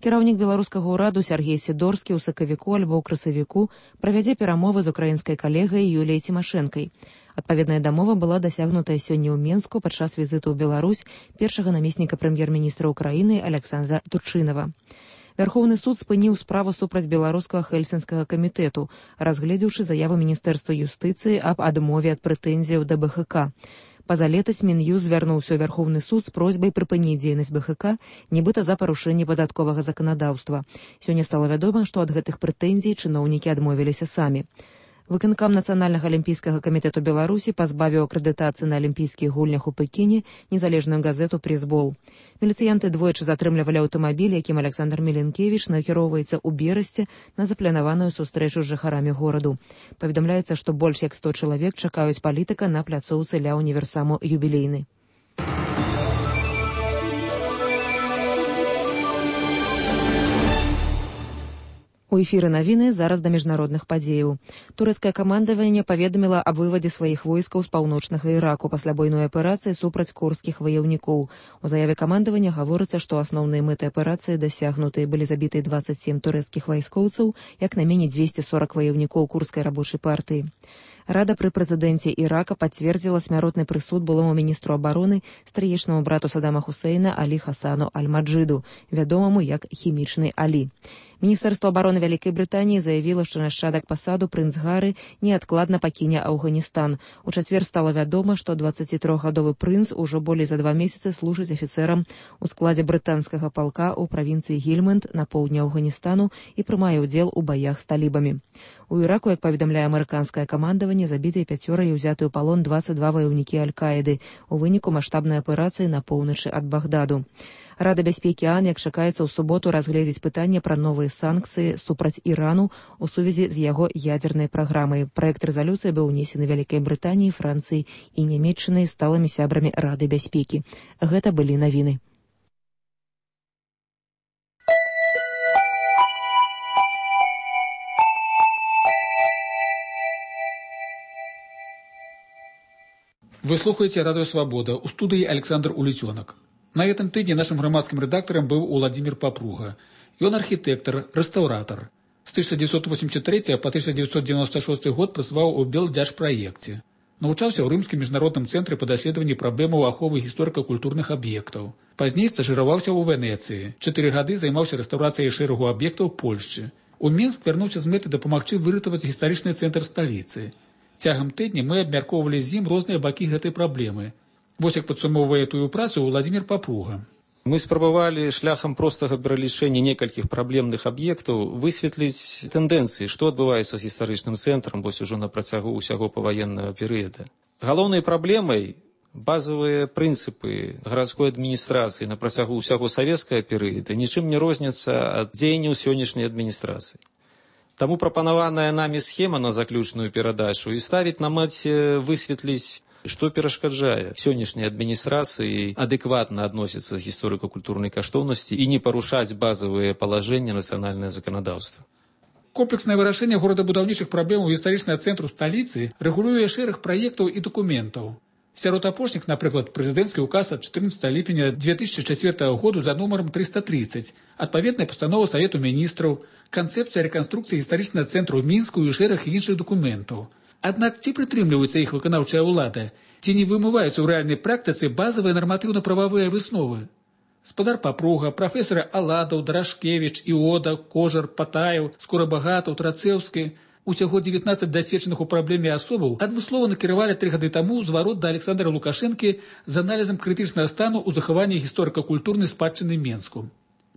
Кіраўнік беларускага ўраду Сяргей Сідорскі ў сакавіку альбо ў красавіку правядзе перамовы з украінскай калегай Юліяй Цімашэнкай. Адпаведная дамова была дасягнутая сёння ў Менску падчас візіту ў Беларусь першага намесніка прэм'ер-міністра ўкраіны Аляксандра Турчынава. Вярхоўны суд спыніў справу супраць беларускага хельсінскага камітэту, разгледзеўшы заяву міністэрства юстыцыі аб адмове ад прэтэнзіяў да бэ ха ка. Пазалетась Мін'юст звярнуўся ў Вярхоўны суд з просьбай прыпыніць дзейнасць бэ ха ка, нібыта за парушэнне падатковага заканадаўства. Сёння стала вядома, што ад гэтых прэтэнзій чыноўнікі адмовіліся самі. Выканкам Нацыянальнага алімпійскага камітэту Беларусі пазбавіў акрэдытацыі на алімпійскіх гульнях у Пекіне незалежную газету «Пресбол». Міліцыянты двойчы затрымлівалі аўтамабіль, якім Александр Міленкевіч накіроўваецца ў Берасці на запланаваную сустрэчу з жыхарамі гораду. Паведамляецца, што больш як сто чалавек чакаюць палітыка на пляцоўцы ля універсаму «Юбілейны». У эфіры навіны зараз да міжнародных падзеяў. Турэцкае камандаванне паведаміла аб вывадзе сваіх войскаў з паўночнага Іраку пасля буйной аперацыі супраць курдскіх ваяўнікоў. У заяве камандавання гаворыцца, што асноўныя мэты аперацыі дасягнутыя, былі забітыя двадцать семь турэцкіх вайскоўцаў, як найменей двести сорок ваяўнікоў курдскай рабочай партыі. Рада пры прэзідэнце Ірака пацвердзіла смяротны прысуд былому міністру абароны, стрыечнаму брату Садама Хусейна Алі Хасану Аль-Маджыду, вядомаму як хімічны Алі. Міністэрства абароны Вялікай Брытаніі заявіла, што нашчадак пасаду прынц Гары неадкладна пакіне Афганістан. У чацвер стала вядома, што дваццацітрохгадовы прынц ужо болей за два месяцы служыць афіцэрам у складзе брытанскага палка ў правінцыі Гільманд на поўдні Афганістану і прымае ўдзел у баях з талібамі. У Іраку, як паведамляе амерыканскае камандаванне, забітыя пяцёра і ўзяты ў палон двадцать два ваяўнікі Аль-Каіды у выніку маштабнай аперацыі на поўначы ад Багдаду. Рада бяспекі ААН, як чакаецца ў суботу, разгледзець пытанне пра новыя санкцыі супраць Ірану у сувязі з яго ядзернай праграмай. Праект рэзалюцыі быў унесены Вялікай Брытаніяй, Францыяй і Нямецчынай сталымі сябрамі Рады бяспекі. Гэта былі навіны. Вы слухаете «Радио Свобода». У студии Александр Улетенок. На этом тыдні нашим громадским редактором был Владимир Попруга. Ён архитектор, реставратор. С тысяча девятьсот восемьдесят третьего по тысяча девятьсот девяносто шестой год працаваў у Белдзяржпраекце. Навучаўся ў рымскім міжнародным цэнтры па даследаванні праблемаў аховы гісторыка-культурных аб'ектаў. Пазней стажыраваўся ў Венецыі. Чатыры гады займаўся рэстаўрацыяй шэрагу аб'ектаў Польшчы. У Мінск вярнуўся з мэтай дапамагчы выратаваць гістарычны цэнтр сталіцы. Цягам тыдня мы абмяркоўвалі з ім розныя бакі гэтай праблемы. Вось як падсумоўвае тую працу Владимир Попруга. Мы спрабавалі шляхам простага пералічэння некалькіх праблемных аб'ектаў высветліць тэндэнцыі, што адбываецца з гістарычным цэнтрам вось ужо на працягу ўсяго паваеннага перыяда. Галоўнай праблемай базавыя прынцыпы гарадской адміністрацыі на працягу ўсяго савецкага перыяда нічым не розняцца ад дзеянняў сённяшняй адміністрацыі. Таму прапанаваная намі схема на заключную перадачу і ставіць на маці высветліць Што перашкаджае сённяшняй адміністрацыі адэкватна адносіцца з гісторыка-культурнай каштоўнасці і не парушаць базавыя палажэнні нацыянальнае заканадаўства? Комплекснае вырашэнне горадабудаўнічых праблемаў гістарычнага цэнтру сталіцы рэгулюе шэраг праектаў і дакументаў. Сярод апошніх, напрыклад, прэзідэнцкі ўказ ад чатырнаццатага ліпеня две тысячы чацвёртага году за нумарам трыста трыццаць, адпаведная пастанова Савету міністраў, канцэпцыя рэканструкцыі гістарычнага цэнтру ў Мінску і шэраг іншых дакументаў. Аднак ці прытрымліваюцца іх выканаўчая ўлада, ці не вымываюцца ў рэальнай практыцы базавыя нарматыўна-прававыя высновы? Спадар Папруга, прафесары Аладаў, Дарашкевіч, Іода, Кожар, Патаев, Скорабагатаў, Трацэўскі, усяго дзевятнаццаць дасведчаных у праблеме асобаў адмыслова накіравалі тры гады таму зварот да Александра Лукашэнкі з аналізам крытычнага стану ў захаванні гісторыка-культурнай спадчыны Менску.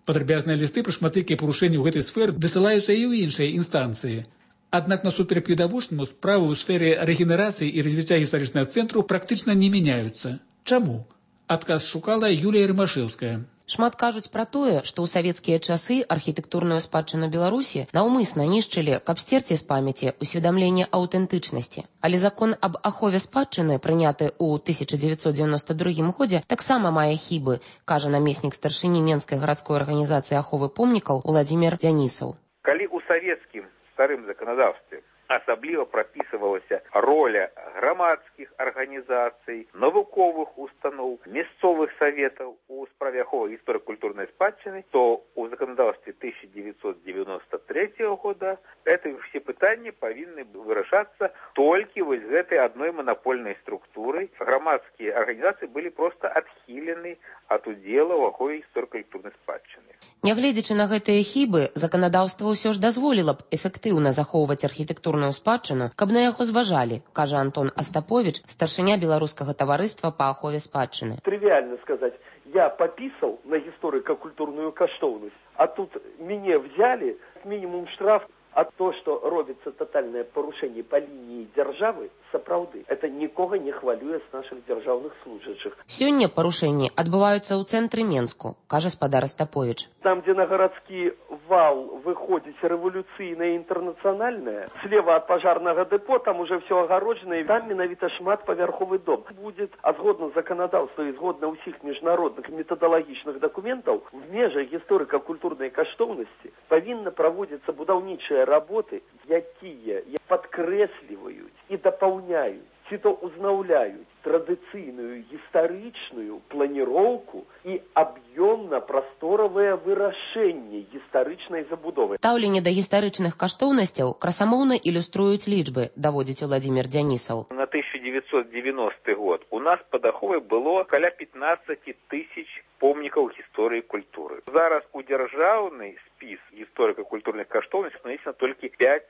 Падрабязныя лісты пра шматлікія парушэнні ў гэтай сферы дасылаюцца і ў іншыя інстанцыі. Аднак насуперак відавочнаму справы ў сферы рэгенерацыі і развіцця гістарычнага цэнтру практычна не мяняюцца. Чаму? Адказ шукала Юлія Рымашэўская. Шмат кажуць пра тое, што ў савецкія часы архітэктурную спадчыну Беларусі наўмысна нішчылі, каб сцерці з памяці усведамленне аўтэнтычнасці. Але закон аб ахове спадчыны, прыняты ў тысяча дзевяцьсот дзевяноста другім годзе, таксама мае хібы, кажа намеснік старшыні Менскай гарадской арганізацыі аховы помнікаў Уладзімір Дзянісаў. Калі ў савецкім старым заканадаўстве асабліва прапісывалася роля грамадскіх арганізацый, навуковых устаноў, мясцовых саветаў у справе аховы гісторыка-культурнай спадчыны, то у заканадаўстве тысяча девятьсот девяносто третьего года это все пытанні павінны вырашацца толькі вось гэтай адной манапольнай структурай. Грамадскія арганізацыі былі проста адхілены ад удзела ў ахове гісторыка-культурнай спадчыны. Нягледзячы на гэтыя хібы, заканадаўства ўсё ж дазволіла б эфектыўна захоўваць архітэктурную спадчыну, каб на яго зважалі, кажа Антон Астапович, старшыня беларускага таварыства па ахове спадчыны. Трывіальна сказаць, я папісаў на гісторыка-культурную каштоўнасць, а тут мяне взяли, мінімум штраф, а то, што робіцца тотальнае парушэнне па лініі дзяржавы, сапраўды, это нікога не хвалюе з нашых дзяржаўных служачых. Сёння парушэнні адбываюцца ў цэнтры Менску, кажа спадар Астапович. Там, дзе на гарадскі вал выходзіць рэвалюцыйнае інтэрнацыянальнае, слева ад пажарнага дэпо, там уже все агароджана, і там менавіта шматпавярховы дом. Будет, а згодна заканадаўства і згодна ўсіх міжнародных метадалагічных дакументаў, в межах гісторыка-культурнай каштоўнасці павінна праводзіцца будаўнічыя работы, якія падкрэсліваюць і дапаўняюць, ці то узнаўляюць традыцыйную гістарычную планіроўку і аб'ёмна-прасторавае вырашэнне гістарычнай забудовы. Стаўленне да гістарычных каштоўнасцяў красамоўна ілюструюць лічбы, даводзіць Уладзімір Дзянісаў. На тысяча девятьсот девяностый год у нас под аховай было каля пятнадцать тысяч помнікаў гісторыі культуры. Зараз у дзяржаўны спіс гісторыка-культурных каштоўнасцей нанесена толькі пять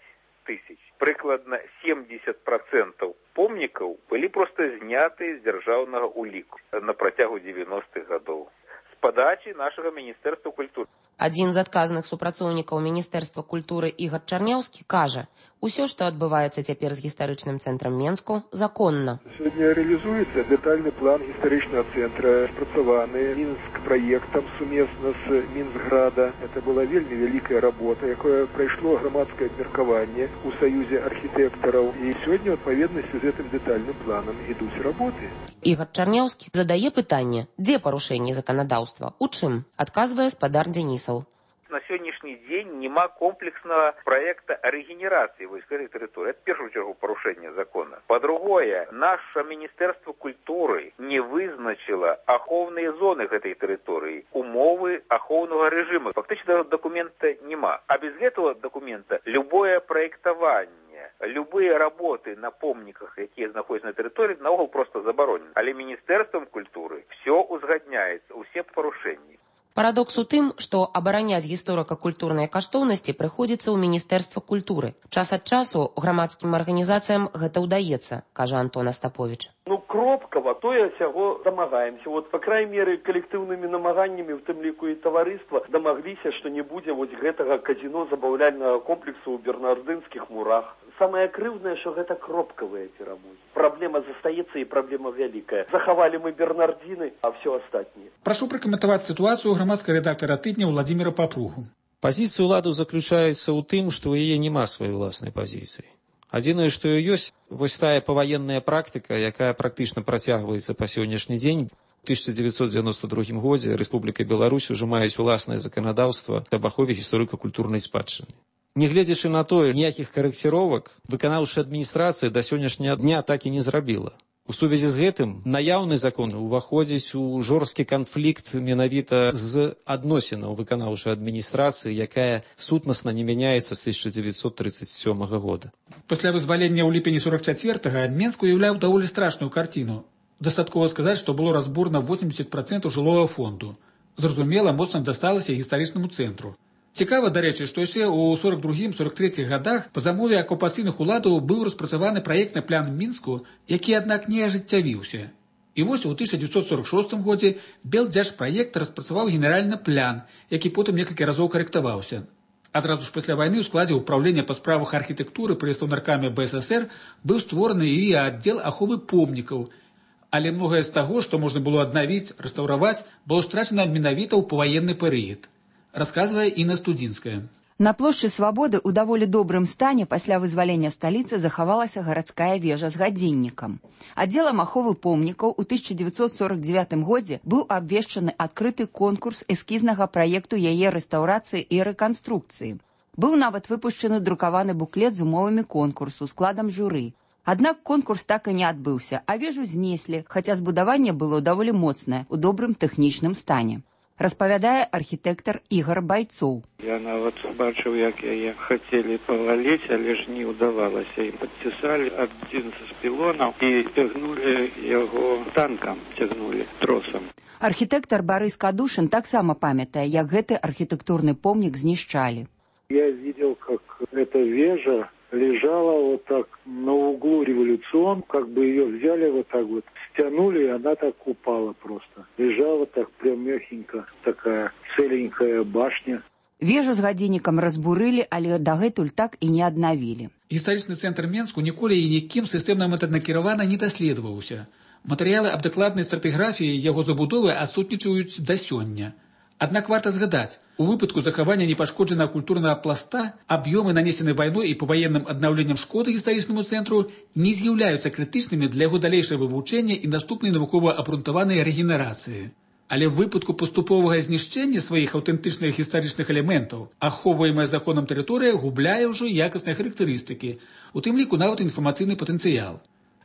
тысяч. Прыкладна семьдесят процентов помнікаў былі проста зняты з дзяржаўнага ўліку на працягу девяностых гадоў з падачы нашага міністэрства культуры. Адзін з адказных супрацоўнікаў міністэрства культуры Ігар Чарняўскі кажа, усё, што адбываецца цяпер з гістарычным цэнтрам Менску, законна. Сёння рэалізуецца дэтальны план гістарычнага цэнтра, спрацаваны Мінск праектам сумесна з Мінсграда. Это была вельмі вялікая работа, якое прайшло грамадскае абмеркаванне ў саюзе архітэктараў. І сёння, у адпаведнасці з гэтым дэтальным планам, ідуць работы. Ігар Чарняўскі задае пытанне, дзе парушэнні заканадаўства, у чым, адказвае спадар Дзянісаў. На сённяшні дзень няма комплекснага праекта рэгенерацыі войсковой тэрыторыі. Это, в першую чергу, парушэнне закона. По-другое, наше Міністэрства культуры не вызначила ахоўныя зоны гэтай тэрыторыі, умовы ахоўнага рэжыму. Фактычна документа няма. А без гэтага документа любое праектаванне, любые работы на помніках, якія знаходзяцца на тэрыторыі, наогул просто забаронены. Але Міністэрствам культуры все узгадняецца, усе парушэнні. Парадокс у тым, што абараняць гісторыка-культурныя каштоўнасці прыходзіцца ў Міністэрства культуры. Час ад часу грамадскім арганізацыям гэта ўдаецца, кажа Антон Астапович. Ну, кропкава, тое сяго дамагаемся. Вот, па крайней меры, калектыўнымі намаганнямі, в тым ліку і таварыства, дамагліся, што не будзе вось гэтага казіно-забаўляльнага комплексу ў бернардынскіх мурах. Самае крыўднае, што гэта кропкавыя перамогі. Праблема застаецца і праблема вялікая. Захавалі мы бернардзіны, а все астатняе. Прашу пракаментаваць сітуацыю грамадскага рэдактара тыдня Уладзіміра Папругу. Пазіцыя ўлады заключаецца ў тым, што ў яе няма сваёй уласнай пазіцыі. Адзінае, што ёсць, вось тая паваенная практыка, якая практычна працягваецца па сённяшні дзень. У тысяча девятьсот девяносто другім годзе Рэспубліка Беларусь ужо маюць уласнае заканадаўства аб ахове гісторыка-культурнай спадчыны. Нягледзячы на тое, ніякіх карэкціровак выканаўчая адміністрацыя да сённяшняга дня так і не зрабіла. У сувязі з гэтым наяўны закон уваходзіць у жорсткі канфлікт менавіта з адносінаў выканаўчай адміністрацыі, якая сутнасна не мяняецца з тысяча девятьсот тридцать сёмага года. Пасля вызвалення ў ліпені сорок чацвёртага Менск уяўляў даволі страшную карціну. Дастаткова сказаць, што было разбурана восемьдесят процентов жылого фонду. Зразумела, моцна дасталася гістарычнаму цэнтру. Цікава, дарэчы, што яшчэ ў сорок другім сорок трэцім годах па замове акупацыйных уладаў быў распрацаваны праектны план Мінску, які, аднак, не ажыццявіўся. І вось у тысяча девятьсот сорок шостым годзе Белдзяржпраект распрацаваў генеральны план, які потым некалькі разоў карэктаваўся. Адразу ж пасля вайны ў складзе ўправлення па справах архітэктуры пры Саўнаркаме Бэ Эс Эс Эр быў створаны і аддзел аховы помнікаў. Але многае з таго, што можна было аднавіць, рэстаўраваць, было страчана менавіта ў паваенны перыяд. Расказвае Інна Студзінская. На плошчы Свабоды ў даволі добрым стане пасля вызвалення сталіцы захавалася гарадская вежа з гадзіннікам. Аддзелам аховы помнікаў у тысяча девятьсот сорок девятым годзе быў абвешчаны адкрыты конкурс эскізнага праекту яе рэстаўрацыі і рэканструкцыі. Быў нават выпушчаны друкаваны буклет з умовамі конкурсу, складам журы. Аднак конкурс так і не адбыўся, а вежу знеслі, хаця збудаванне было даволі моцнае, у добрым тэхнічным стане. Распавядае архітэктар Ігар Байцоў. Я нават бачыў, як яе хацелі паваліць, але ж не ўдавалася. І падцісалі адзін з пілонаў і цягнулі яго танкам, цягнулі тросам. Архітэктар Барыс Кадушын таксама памятае, як гэты архітэктурны помнік знішчалі. Я видел, как эта вежа лежала вот так на углу Революцион, как бы ее взяли вот так вот, стянули, и она так упала просто. Лежала так прям мягенько, такая целенькая башня. Вежу з гадзіннікам разбурылі, але дагэтуль так і не аднавілі. Гістарычны цэнтр Менску ніколі і нікім сістэмна мэтанакіравана не даследаваўся. Матэрыялы аб дакладнай стратыграфіі яго забудовы адсутнічаюць да сёння. Аднак варта згадаць, у выпадку захавання непашкоджанага культурнага пласта аб'ёмы, нанесеныя вайной і паваенным аднаўленнем шкоды гістарычнаму цэнтру, не з'яўляюцца крытычнымі для яго далейшага вывучэння і наступнай навукова абрунтаванай рэгенерацыі. Але ў выпадку паступовага знішчэння сваіх аўтэнтычных гістарычных элементаў ахоўваемая законам тэрыторыя губляе ўжо якасныя характарыстыкі, у тым ліку нават інфармацыйны патэнцыял.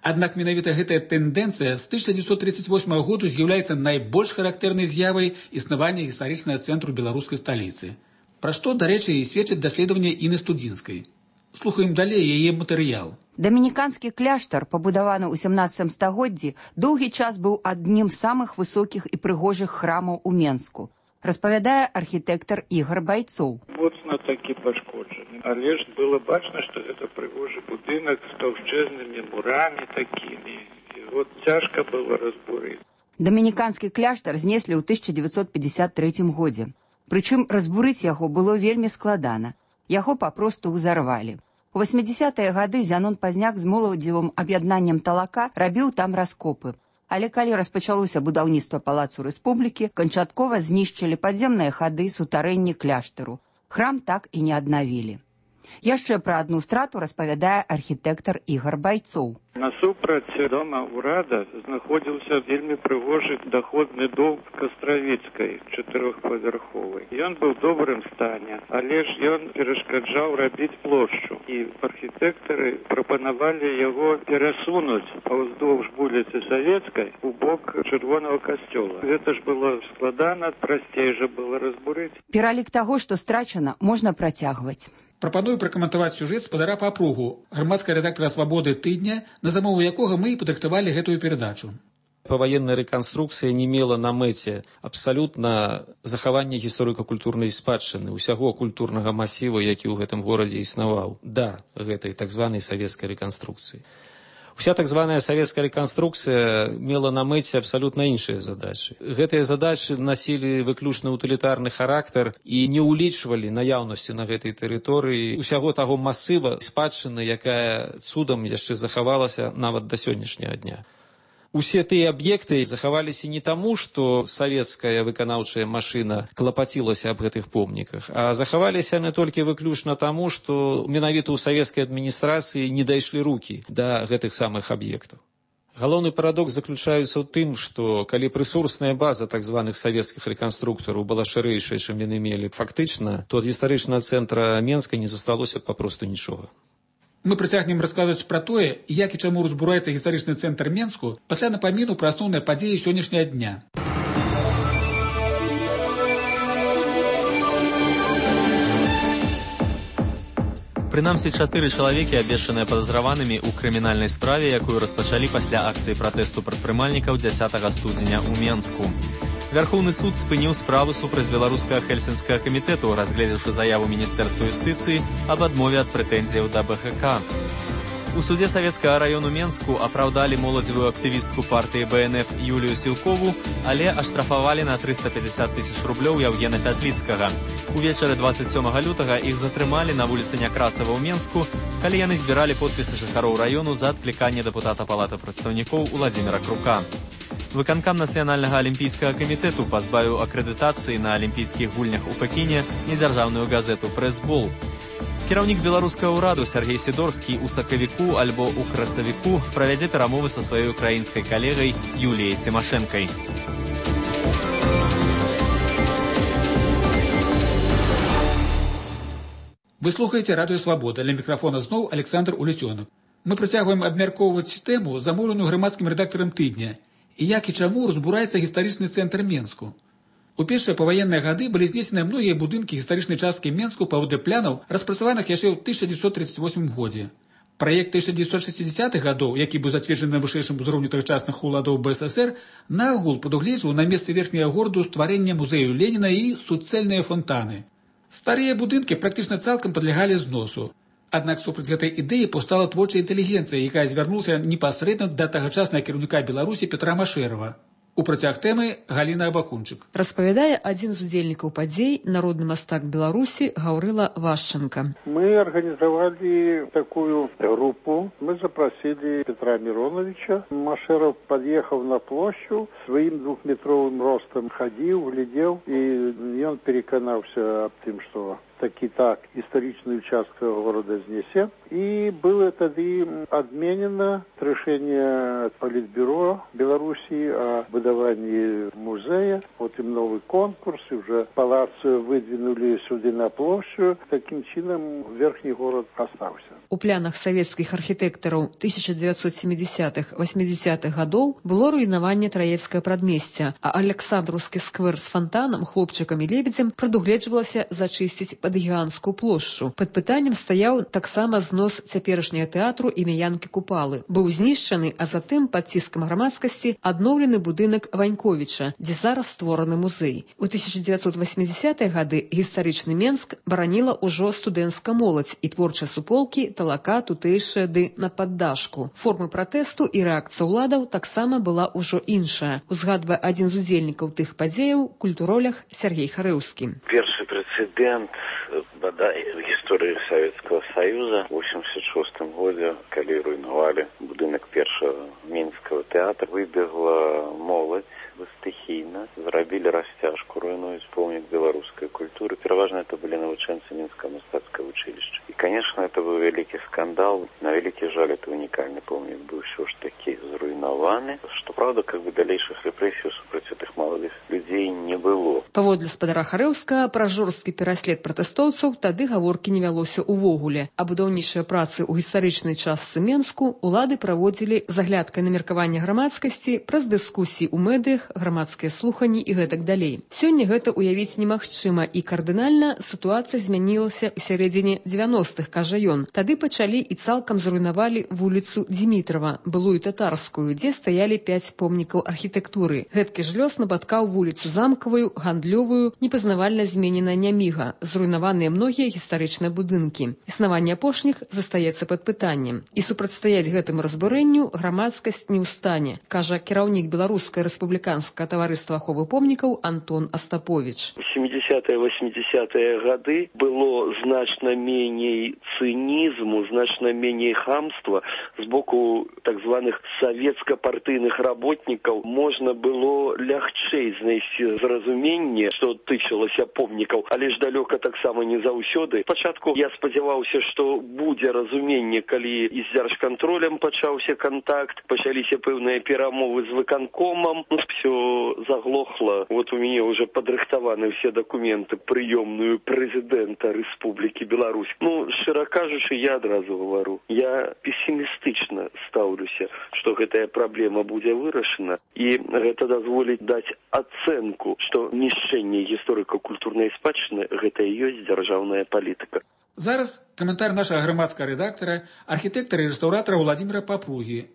Аднак менавіта гэтая тэндэнцыя з тысяча девятьсот тридцать восьмага году з'яўляецца найбольш характэрнай з'явай існавання гістарычнага цэнтру беларускай сталіцы. Пра што, дарэчы, і сведчаць даследаванне Інны Студзінскай. Слухаем далей яе матэрыял. Дамініканскі кляштар, пабудаваны ў сямнаццатым стагоддзі, доўгі час быў адным з самых высокіх і прыгожых храмаў у Менску. Распавядае архітэктар Ігар Байцоў. Моцна такі пашкоджаны. Але ж было бачна, што гэта прыгожы будынак з таўшчэзнымі мурамі такімі. І вот цяжка было разбурыць. Дамініканскі кляштар знеслі ў тысяча девятьсот пятьдесят третьем годзе. Прычым разбурыць яго было вельмі складана. Яго папросту ўзарвалі. У восьмідзесятыя гады Зянон Пазняк з моладзевым аб'яднаннем Талака рабіў там раскопы. Але калі распачалося будаўніцтва палацу рэспублікі, канчаткова знішчылі падземныя хады, сутарэнні кляштару. Храм так і не аднавілі. Яшчэ пра адну страту распавядае архітэктар Ігар Байцоў. Насупраць дома ўрада знаходзіўся вельмі прыгожы даходны дом Кастравіцкай, чатырохпавярховы. Ён быў у добрым стане, але ж ён перашкаджаў рабіць плошчу. І архітэктары прапанавалі яго перасунуць паўздоўж вуліцы Савецкай у бок чырвонага касцёла. Гэта ж было складана, прасцей жа было разбурыць. Пералік таго, што страчана, можна працягваць. Прапаную пракаментаваць сюжэт спадара па апругу, грамадская рэдактара «Свабоды» тыдня, на замову якога мы і падрыхтавалі гэтую перадачу. Паваенная рэканструкцыя не мела на мэце абсалютна захаванне гісторыка-культурнай спадчыны, усяго культурнага масіву, які ў гэтым горадзе існаваў, да гэтай так званай савецкай рэканструкцыі. Уся так званая савецкая рэканструкцыя мела на мэце абсалютна іншыя задачы. Гэтыя задачы насілі выключна утылітарны характар і не ўлічвалі наяўнасці на гэтай тэрыторыі усяго таго масыва спадчыны, якая цудам яшчэ захавалася нават да сённяшняга дня. Усе тыя аб'екты захаваліся не таму, што савецкая выканаўчая машына клапацілася аб гэтых помніках, а захаваліся не толькі выключна таму, што менавіта ў савецкай адміністрацыі не дайшлі рукі да гэтых самых аб'ектаў. Галоўны парадокс заключаецца ў тым, што калі рэсурсная база так званых савецкіх рэканструктараў была шырэйшая, чым яны мелі фактычна, то ад гістарычнага цэнтра Менска не засталося папросту нічога. Мы працягнем расказваць пра тое, як і чаму разбураецца гістарычны цэнтр Менску пасля напаміну пра асноўныя падзеі сённяшняга дня. Прынамсі, чатыры чалавекі абвешчаныя падазраванымі ў крымінальнай справе, якую распачалі пасля акцыі пратэсту прадпрымальнікаў дзясятага студзеня ў Менску. Вярхоўны суд спыніў справу супраць беларускага хельсінскага камітэту, разгледзеўшы заяву міністэрства юстыцыі аб адмове ад прэтэнзіяў да бэ гэ ка. У суде савецкага раёну Менску апраўдалі моладзевую актывістку партыі бэ эн эф Юлію Сілкову, але аштрафавалі на трыста пятьдесят тысяч рублёў Яўгена Пятліцкага. Увечары дваццаць сёмага лютага іх затрымалі на вуліцы Някрасава ў Менску, калі яны збіралі подпісы жыхароў раёну за адкліканне дэпутата палаты прадстаўнікоў Уладзіміра Крука. Выканкам нацыянальнага алімпійскага камітэту пазбавіў акрэдытацыі на алімпійскіх гульнях у Пекіне недзяржаўную газету «Прэс-бол». Кіраўнік беларускага ўраду Сергей Сідорскі ў сакавіку альбо ў красавіку правядзе перамовы са сваёй украінскай калегай Юліяй Цімашэнкай. Вы слухаеце радыё «Свабода». Ля мікрафона зноў Александр Уліцёнак. Мы працягваем абмяркоўваць тэму, замоўленую грамадскім рэдактарам тыдня, і як і чаму разбураецца гістарычны цэнтр Менску. У першыя паваенныя гады былі знесены многія будынкі гістарычнай часткі Менску паводле планаў, распрацаваных яшчэ ў тысяча дзевяцьсот тридцать восьмым годзе. Праект тысяча дзевяцьсот шестидесятых гадоў, які быў зацверджаны на вышэйшым узроўні тагачасных уладаў бэ эс эс эр, наогул прадугледжваў на месцы верхняга гораду стварэнне музею Леніна і суцэльныя фонтаны. Старыя будынкі практычна цалкам падлягалі зносу. Аднак супраць гэтай ідэі паўстала творчая інтэлігенцыя, якая звярнулася непасрэдна да тагачаснага кіраўніка Беларусі Петра Машэрава. У працяг тэмы Галіна Абакунчык. Распавядае адзін з удзельнікаў падзей, народны мастак Беларусі Гаўрыла Вашченко. Мы организовали такую группу. Мы запросили Петра Мироновича. Машеров подъехал на площадь, своим двухметровым ростом ходил, глядел, и он переконался об том, что таки так историчный участок города знесе. И было тогда отменено решение Политбюро Беларуси о будовании музея. Потом новый конкурс, и уже палац выдвинули сюда на площадь. Таким чином верхний город остался. У планах савецкіх архітэктараў тысяча дзевяцьсот семидесятых восьмидесятых гадоў было руйнаванне Траецкае прадмесця, а Александраўскі сквер з фонтанам, хлопчыкам і лебедзем прадугледжвалася зачысціць пад гіганцкую плошчу. Пад пытаннем стаяў таксама знос цяперашняга тэатру імя Янкі Купалы. Быў знішчаны, а затым пад ціскам грамадскасці адноўлены будынак Ваньковіча, дзе зараз створаны музей. У тысяча дзевяцьсот восьмидесятыя гады гістарычны Менск бараніла ўжо студэнцкая моладзь і творчыя суполкі талака тутэйшая ды на паддашку. Формы пратэсту і рэакцыя ўладаў таксама была ўжо іншая. Узгадвае адзін з удзельнікаў тых падзеяў, культуролях Сергей Харэўскі. Першы прэцэдэнт бадай в гісторыі Савецкага Саюза у восемьдесят шостым годзе, калі руйнавалі будынак першага мінскага тэатра, выбегла моладзь стыхійна, зрабілі расцяжку, руйнуюць помнік беларускай культуры. Пераважна это былі навучэнцы Мінскага мастацкага училища. И, конечно, это был великий скандал. На великий жаль, это уникальный помнік был все ж таки зруйнованы. Что, правда, как бы далейших репрессий супраць этих молодых людей не было. Паводле спадара Харэўскага, пра жорсткі пераслед пратэстоўцаў тады гаворкі не вялося ўвогуле. А будаўнічыя працы ў гістарычнай частцы Менску улады праводзілі з аглядкай на меркаванне грамадскасці, праз дыскусіі ў медыях, грамадскія слуханні і гэтак далей. Сёння гэта уявіць немагчыма, і кардынальна сітуацыя змянілася ў сярэдзіне дзевяностых, кажа ён. Тады пачалі і цалкам зруйнавалі вуліцу Дзімітрава, былую татарскую, дзе стаялі пяць помнікаў архітэктуры. Гэткі ж лёс напаткаў вуліцу Замкавую, Гандлёвую, непазнавальна зменена Няміга, зруйнаваныя многія гістарычныя будынкі. Існаванне апошніх застаецца пад пытаннем. І супрацьстаяць гэтаму разбурэнню грамадскасць не ў стане, кажа кіраўнік Беларускай рэспубліканскага таварыства аховы помнікаў Антон Астапович. У семидесятых сямидзесятыя восьмидзесятыя гады было значна меней цынізму, значна меней хамства з боку так званых савецка-партыйных работнікаў. Можна было лягчэй знайсці зразуменне, што тычылася помнікаў, але ж далёка таксама не заўсёды. Спачатку я спадзяваўся, што будзе разуменне, калі і з дзяржкантролем пачаўся кантакт, пачаліся пэўныя перамовы з выканкомам, ну, все заглохло. Вот у мяне уже падрыхтаваны все документы прыёмную прэзідэнта Рэспублікі Беларусь. Ну, шчыра кажучы, я адразу гавару, я пессімістычна стаўлюся, што гэтая праблема будзе вырашана, і гэта дазволіць даць ацэнку, што нішчэнне гісторыка-культурнай спадчыны гэта і ёсць дзяржаўная палітыка. Зараз каментар нашага грамадскага рэдактара, архітэктара і рэстаўратара Владзіміра Папругі.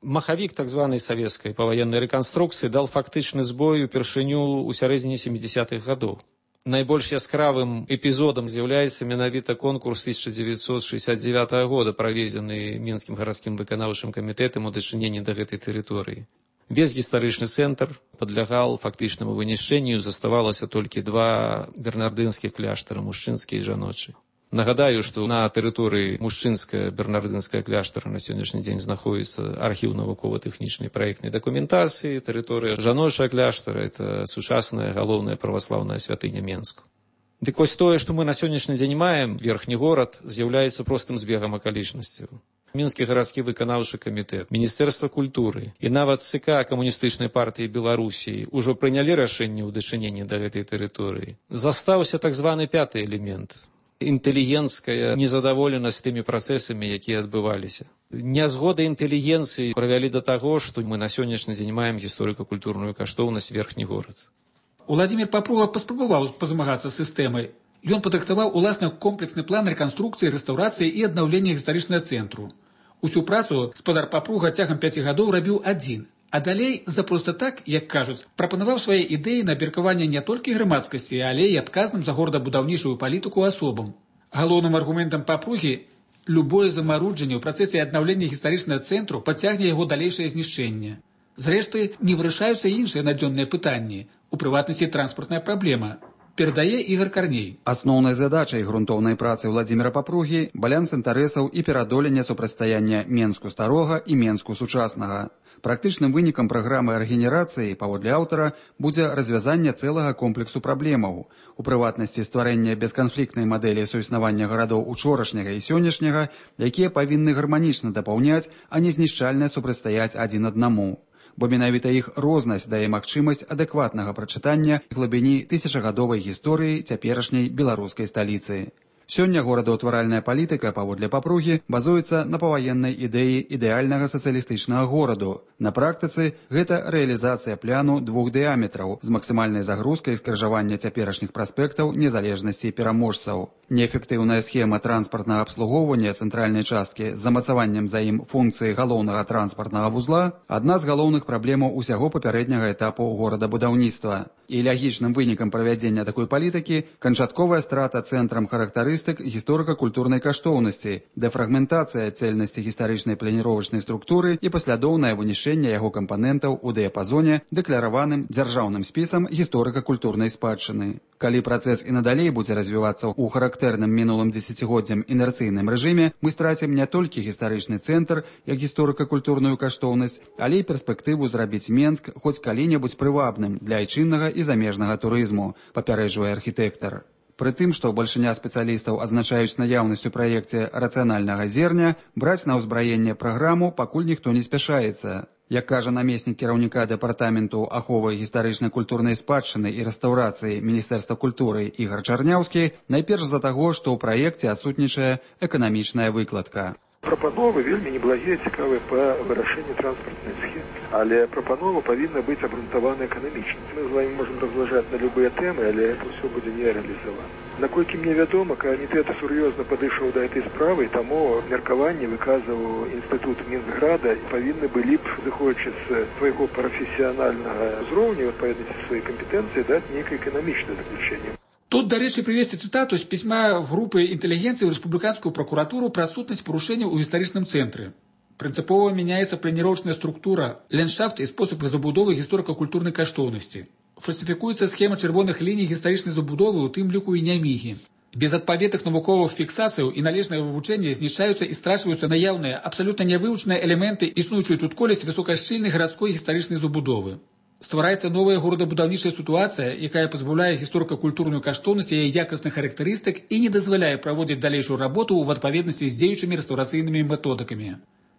Махавік так званай савецкай паваеннай рэканструкцыі дал фактычны збой упершыню ў сярэдзіне сямідзесятых гадоў. Найбольш яскравым эпізодам з'яўляецца менавіта конкурс тысяча девятьсот шестьдесят девятого года, праведзены Мінскім гарадскім выканаўчым камітэтам у дачыненні да гэтай тэрыторыі. Весь гістарычны цэнтр падлягаў фактычнаму вынішчэнню, заставалася толькі два бернардынскіх кляштара, мужчынскі і жаночы. Нагадаю, што на тэрыторыі мужчынская бернардынская кляштара на сённяшні дзень знаходіцца архіў навукова-тэхнічнай праектнай дакументацыі, тэрыторыя жаночая кляштара – это сучасная галоўная праваслаўная святыня Менску. Дык вось тое, што мы на сённяшні дзень маем, верхні горад, з'яўляецца простым збегам акалічнасцяў. Мінскі гарадскі выканаўчы камітэт, Міністэрства культуры і нават ЦК камуністычнай партыі Беларусі ўжо прынялі рашэнне ў дачыненні да гэтай тэрыторыі. Застаўся так званы пяты элемент – інтэлігенцкая незадаволенасць тымі працэсамі, якія адбываліся. Нязгода інтэлігенцыі прывялі да таго, што мы на сённяшні дзень маем гісторыка-культурную каштоўнасць верхні горад. Уладзімір Папруга паспрабаваў пазмагацца з сістэмай. Ён падрыхтаваў уласны комплексны план рэканструкцыі, рэстаўрацыі і аднаўлення гістарычнага цэнтру. Усю працу спадар Папруга цягам пяці гадоў рабіў адзін. А далей, за проста так, як кажуць, прапанаваў свае ідэі на абмеркаванне не толькі грамадскасці, але і адказным за горадабудаўнічую палітыку асобам. Галоўным аргументам Папругі – любое замаруджанне ў працэсе аднаўлення гістарычнага цэнтру падцягне яго далейшае знішчэнне. Зрэшты, не вырашаюцца іншыя надзённыя пытанні, у прыватнасці транспартная праблема. Перадае Ігор Карней. Асноўнай задачай грунтоўнай працы Владзіміра Папругі – баланс інтарэсаў і пераадоленне супрацьстаяння Менску старога і Менску сучаснага. Практычным вынікам праграмы рэгенерацыі, паводле аўтара, будзе развязанне цэлага комплексу праблемаў. У прыватнасці стварэння бесканфліктнай мадэлі суіснавання гарадоў учорашняга і сённяшняга, якія павінны гарманічна дапаўняць, а не знішчальна супрацьстаяць адзін аднаму. Бо менавіта іх рознасць дае магчымасць адэкватнага прачытання глыбіні тысячагадовай гісторыі цяперашняй беларускай сталіцы. Сёння горадаўтваральная палітыка, паводле Папругі, базуецца на паваеннай ідэі ідэальнага сацыялістычнага гораду. На практыцы гэта рэалізацыя пляну двух дыяметраў з максімальнай загрузкай скрыжавання цяперашніх праспектаў незалежнасці пераможцаў. Неэфектыўная схема транспартнага абслугоўвання цэнтральнай часткі з замацаваннем за ім функцыі галоўнага транспартнага вузла – адна з галоўных праблемаў усяго папярэдняга этапу горадабудаўніцтва. І лягічным вынікам правядзення такой палітыкі – канчатковая страта цэнтрам характарыстык гісторыка-культурнай каштоўнасці, дэфрагментацыя цэльнасці гістарычнай планіровачнай структуры і паслядоўнае вынішчэнне яго кампанентаў у дыяпазоне, дэклараваным дзяржаўным спісам гісторыка-культурнай спадчыны. Калі працэс і надалей будзе развівацца ў характэрным мінулым дзесяцігоддзям інерцыйным рэжыме, мы страцім не толькі гістарычны цэнтр, як гісторыка-культурную каштоўнасць, але і перспектыву зрабіць Менск хоць калі-небудзь прывабным для айчыннага і замежнага турызму, папярэджвае архітэктар. Пры тым, што бальшыня спецыялістаў адзначаюць наяўнасць у праекце рацыянальнага зерня, браць на ўзбраенне праграму пакуль ніхто не спяшаецца. Як кажа намеснік кіраўніка дэпартаменту аховы гістарычнай культурнай спадчыны і рэстаўрацыі Міністэрства культуры Ігар Чарняўскі, найперш з-за таго, што ў праекце адсутнічае эканамічная выкладка. Прапановы вельмі неблагія, цікавыя па вырашэнні транспартнай схемы, але прапанова павінна быць абгрунтавана эканамічна. Мы з вами можам разважаць на любыя тэмы, але это ўсё будзе не рэалізавана. Наколькі мне вядома, камітэт сур'ёзна падышоў да гэтай справы, таму меркаванне выказваў інстытут Мінсграда, павінны былі б, зыходзячы з свайго прафесіянальнага ўзроўню, адпаведнасці сваёй кампетэнцыі, даць нейкае эканамічнае заключэнне. Тут, дарэчы, прывесці цытату з пісьма групы інтэлігенцыі ў рэспубліканскую пракуратуру пра сутнасць парушэнняў у гістарычным цэнтры. Прынцыпова мяняецца планіровачная структура, ландшафт і спосаб забудовы гісторыка-культурнай каштоўнасці. Фальсифікуецца схема чырвоных ліній гістарычнай забудовы, у тым ліку і нямігі. Без адпаведных навуковых фіксацыяў і належнага вывучэння знішчаюцца і страчваюцца наяўныя, абсалютна нявывучаныя элементы існуючай тут колісь высокашчыльнай гарадской гістарычнай забудовы. Ствараецца новая горадабудаўнічая сітуацыя, якая пазбаўляе гісторыка-культурную каштоўнасць яе якасных характарыстык і не дазваляе праводзіць далейшую работу ў адпаведнасці з дзеючымі рэстаўрацыйнымі методыкамі.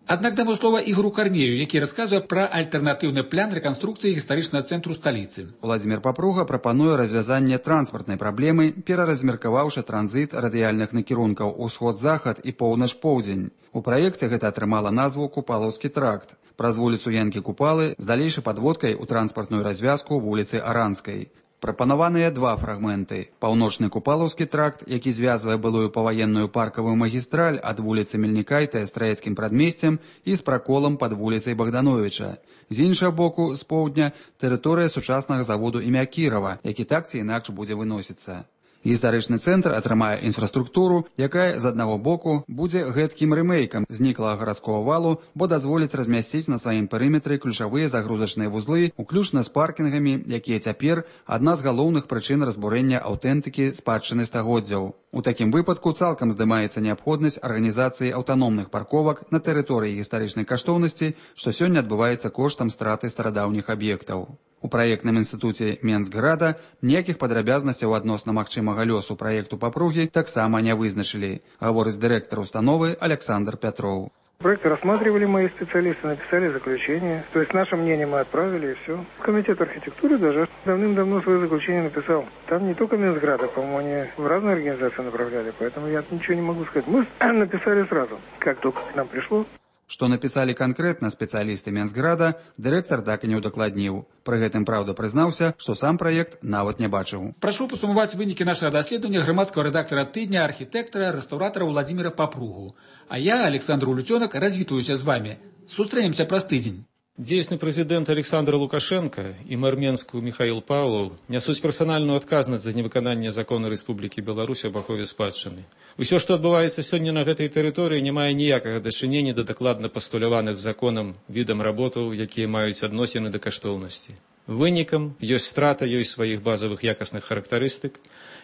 Аднак дамо слова Ігору Карнею, які расказвае пра альтэрнатыўны план рэканструкцыі гістарычнага цэнтру сталіцы. Владзімір Папруга прапануе развязанне транспартнай праблемы, пераразмеркаваўшы транзіт радыяльных накірункаў усход-захад і поўнач-поўдзень. У праекце гэта атрымала назву Купалаўскі тракт. Праз вуліцу Янкі-Купалы з далейшай падводкай у транспартную развязку вуліцы Аранскай. Прапанаваныя два фрагменты. Паўночны Купалаўскі тракт, які звязвае былую паваенную паркавую магістраль ад вуліцы Мельнікайта з Траецкім прадмесцем і з праколам пад вуліцай Богдановича. З іншага боку, з поўдня, тэрыторыя сучаснага заводу імя Кірава, які так ці інакш будзе выносіцца. Гістарычны цэнтр атрымае інфраструктуру, якая з аднаго боку будзе гэткім рэмейкам зніклага гарадскога валу, бо дазволіць размясціць на сваім перыметры ключавыя загрузачныя вузлы, уключна з паркінгамі, якія цяпер адна з галоўных прычын разбурэння аўтэнтыкі спадчыны стагоддзяў. У такім выпадку цалкам здымаецца неабходнасць арганізацыі аўтаномных парковак на тэрыторыі гістарычнай каштоўнасці, што сёння адбываецца коштам страты старадаўніх аб'ектаў. У праектным інстытуце Менскграда ніякіх падрабязнасцяў адносна магчымага лёсу праекту Папругі таксама не вызначылі, гаворыць дырэктар установы Александр Пятроў. Проект рассматривали мои специалисты, написали заключение. То есть наше мнение мы отправили, и все. Комитет архитектуры даже давным-давно свое заключение написал. Там не только Менсграда, по-моему, они в разные организации направляли, поэтому я ничего не могу сказать. Мы написали сразу, как только к нам пришло. Што напісалі канкрэтна спецыялісты Менсграда, дырэктар так і не ўдакладніў. Пры гэтым, праўда, прызнаўся, што сам праект нават не бачыў. Прашу пасумаваць вынікі нашага даследавання грамадскага рэдактара тыдня, архітэктара, рэстаўратара Владзіміра Папругу. А я, Александр Улюцёнак, развітваюся з вамі. Сустрэнемся праз тыдзень. Дзейсны прэзідэнт Александр Лукашенко і мэр Менску Михаил Павлов нясуць персанальную адказнасць за невыкананне закона Рэспублікі Беларусь аб ахове спадчыны. Усё, што адбываецца сёння на гэтай тэрыторыі, не мае ніякага дачынення да дакладна пастуляваных законам відам работаў, якія маюць адносіны да каштоўнасці. Вынікам ёсць страта ёсць сваіх базавых якасных характарыстык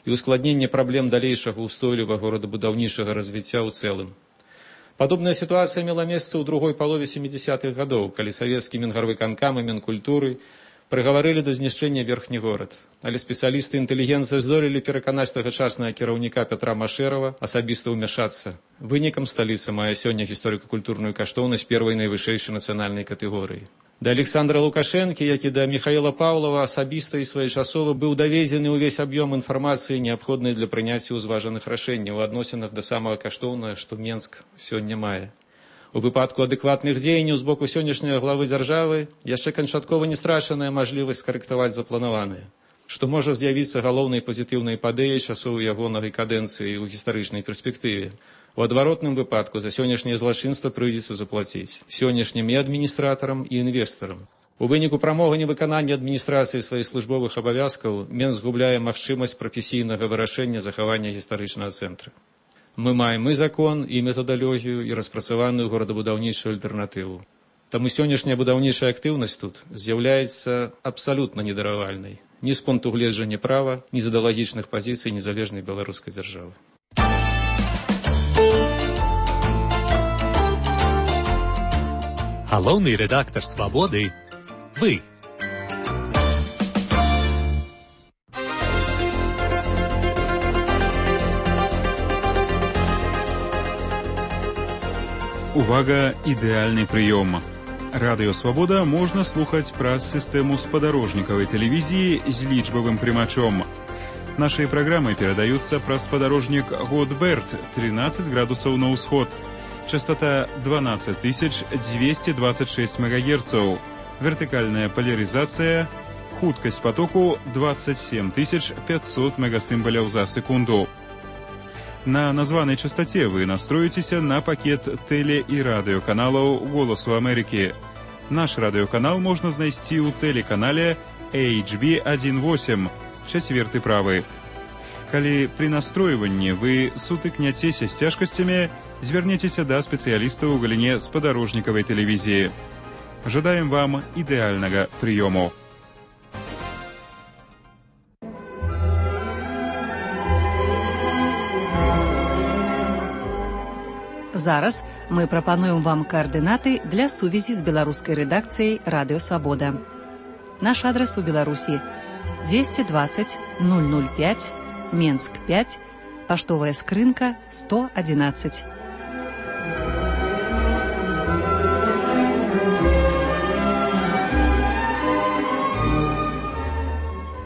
і ускладненне праблем далейшага устойлівага горадабудаўнічага развіцця ў цэлым. Падобная сітуацыя мела месца ў другой палове сямідзясятых гадоў, калі савецкі Мінгарвыканкам і Мінкультуры прыгаварылі да знішчэння верхні горад. Але спецыялісты інтэлігенцыі здолелі пераканаць тагачаснага кіраўніка Пятра Машэрава асабіста ўмяшацца. Вынікам сталіца мае сёння гісторыка-культурную каштоўнасць первай найвышэйшай нацыянальнай катэгорыі. Да Александра Лукашэнкі, як і да Михаила Павлова, асабіста і своечасова быў даведзены ўвесь аб'ём інфармацыі, неабходнай для прыняцця ўзважаных рашэнняў у адносінах да самага каштоўнага, што Менск сёння мае. У выпадку адэкватных дзеянняў з боку сённяшняй главы дзяржавы яшчэ канчаткова не страчаная мажлівасць скарэктаваць запланаванае, што можа з'явіцца галоўнай пазітыўнай падэяй часоў ягонай кадэнцыі ў гістарычнай перспектыве. У адваротным выпадку за сённяшняе злачынства прыйдзецца заплаціць сённяшнім і адміністратарам, і інвестарам. У выніку прамога невыканання адміністрацыі сваіх службовых абавязкаў Менск губляе магчымасць прафесійнага вырашэння захавання гістарычнага цэнтра. Мы маем і закон, і метадалогію, і распрацаваную горадабудаўнічую альтэрнатыву. Таму сённяшняя будаўнічая актыўнасць тут з'яўляецца абсалютна недаравальнай ні з пункту гледжання права, ні з ідэалагічных пазіцый незалежнай беларускай дзяржавы. Галоўны рэдактар «Свабоды» – вы. Увага, ідэальны прыём. Радыё «Свабода» можна слухаць праз сістэму спадарожнікавай тэлевізіі з лічбавым прымачом. Нашыя праграмы перадаюцца праз спадарожнік Годберт, тринадцать градусаў на ўсход. Частота двенадцать тысяч двести двадцать шесть мегагерцаў. Вертыкальная поляризация. Хуткасць потоку двадцать семь тысяч пятьсот мегасімбаляў за секунду. На названай частоте вы настроіцеся на пакет тэле- і радыёканалаў «Голасу Амерыкі». Наш радыёканал можна знайсці ў тэлеканале эйч би один восемь, чацверты правы. Калі пры настройванні вы сутыкняцеся з цяжкасцямі, звярніцеся да спецыялістаў у галіне спадарожнікавай тэлевізіі. Жадаем вам ідэальнага прыёму. Зараз мы прапануем вам координаты для сувязі з беларускай рэдакцыяй Радыё Свабода. Наш адрес у Беларусі двести двадцать ноль ноль пять, Менск пять, паштовая скрынка сто одиннадцать.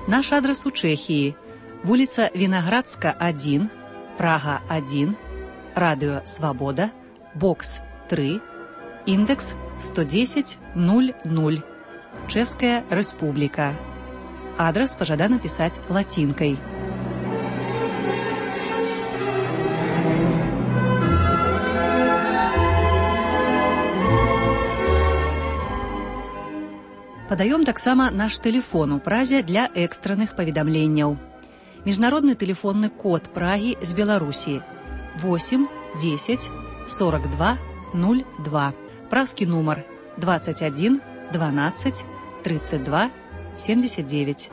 Наш адрес у Чэхіі. Вуліца Вінаградска один, Прага один, Радыё Свабода, бокс три, індекс сто десять ноль ноль, Чэшская Рэспубліка. Адрес пажадана пісаць лацінкай. Падаём таксама наш тэлефон у Празе для экстранных паведамленняў. Міжнародны тэлефонны код Прагі з Беларусі восемь десять сорок два ноль два. Празкі нумар двадцать один двенадцать тридцать два семьдесят девять.